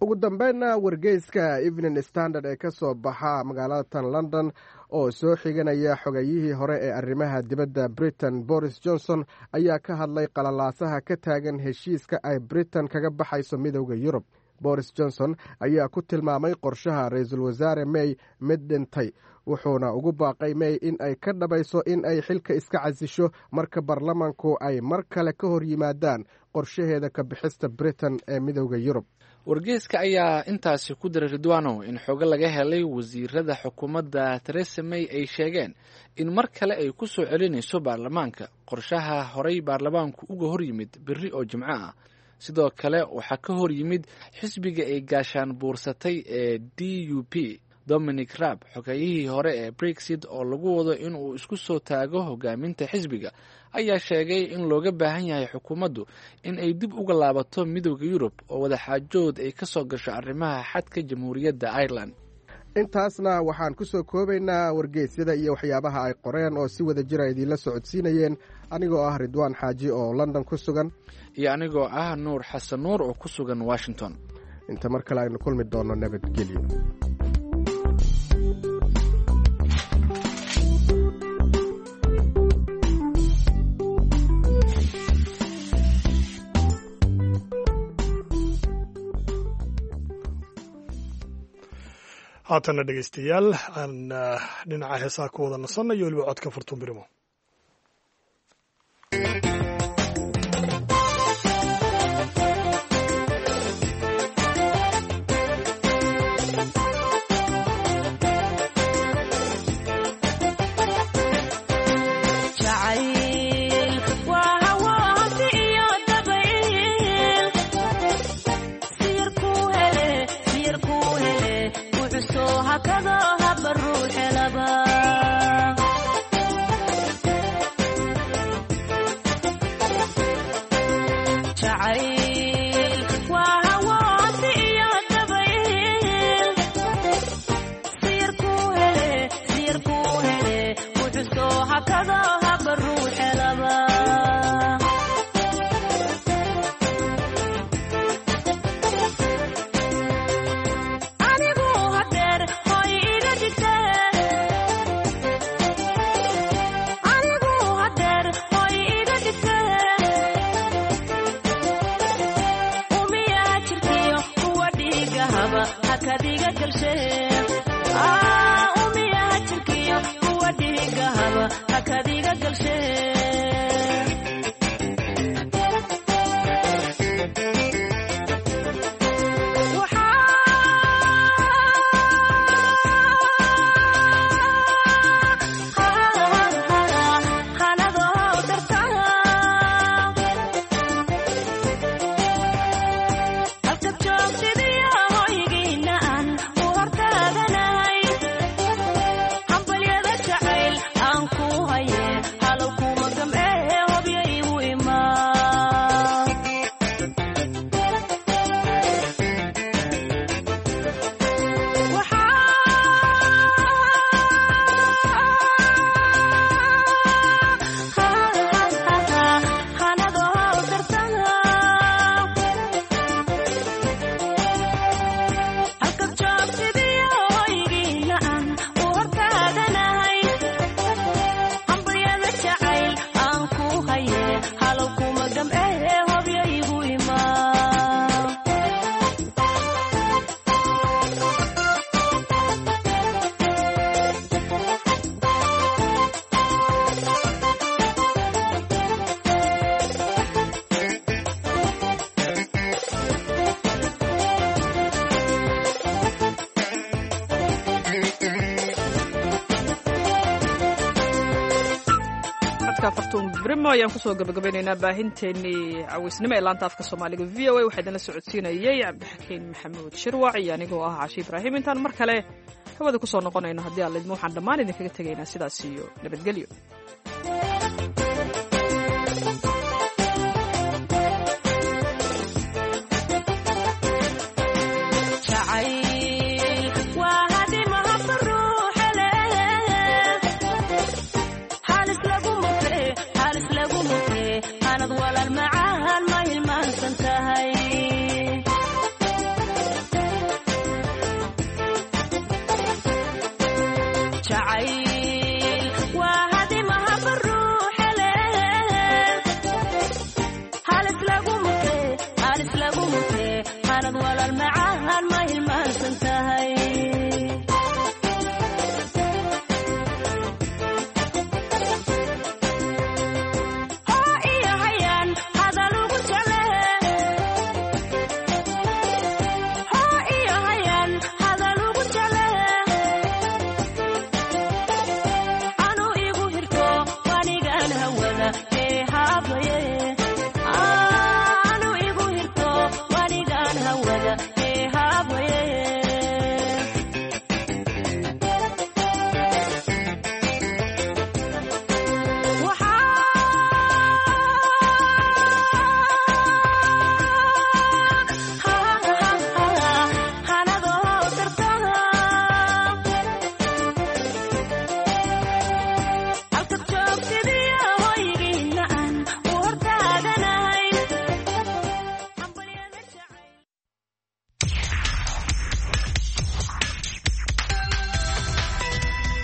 Ugu dambeynna, wargeyska Evening Standard ee ka soo baxa magaalada tan London oo soo xiganaya xogayihii hore ee arrimaha dibadda Britain Boris Johnson ayaa ka hadlay qalalaasaha ka taagan heshiiska ay Britain kaga baxayso Midowda Yurub. Boris Johnson ayaa ku tilmaamay qorshaha ra-iisul wasaare May mid dhintay, wuxuuna ugu baaqay May in ay ka dhabayso in ay xilka iska casisho marka baarlamanku ay mar kale ka hor yimaadaan qorshaheeda ka bixista Britain ee Midowda Yurub. Wargeyska ayaa intaasi ku diray, Ridwanow, in xogo laga helay wasiirada xukuumadda Theresa May ay sheegeen in mar kale ay ku soo celinayso baarlamaanka qorshaha horey baarlamaanku uga hor yimid berri oo Jimco ah. Sidoo kale waxaa ka hor yimid xisbiga ay gaashaan buursatay ee D U P. Dominic Raab, xogeyihii hore ee Brexit oo lagu wado inuu isku soo taago hogaaminta xisbiga, ayaa sheegay in looga baahan yahay xukuumaddu in ay dib uga laabato Midowda Yurub oo wadaxaajood ay ka soo gasho arrimaha xadka Jamhuuriyadda Ireland. Intaasna waxaan ku soo koobaynaa wargeysyada iyo waxyaabaha ay qoreen oo si wada jira idiinla socodsiinayeen anigoo ah Ridwaan Xaaji oo London ku sugan iyo anigoo ah Nuur Xasan Nuur oo ku sugan Washington. Inta mar kale aynu kulmi doonno, nabadgelyo. Haatanna dhegeystayaal, aan dhinaca heesaha ku wada nasannayo, weliba codka Furtuun Birimo. Brimo ayaan kusoo gabagabaynaynaa baahinteennii cawaysnimo ee laanta afka Soomaaliga V O A. Waxaa idinla socodsiinayay Cabdixakiin Maxamuud Shirwac iyo anigoo ah Cashi Ibraahim. Intaan mar kale hawada kusoo noqonayno, haddii Alla idmo, waxaan dhammaan idinkaga tegaynaa sidaas iyo nabadgelyo. Jacayl.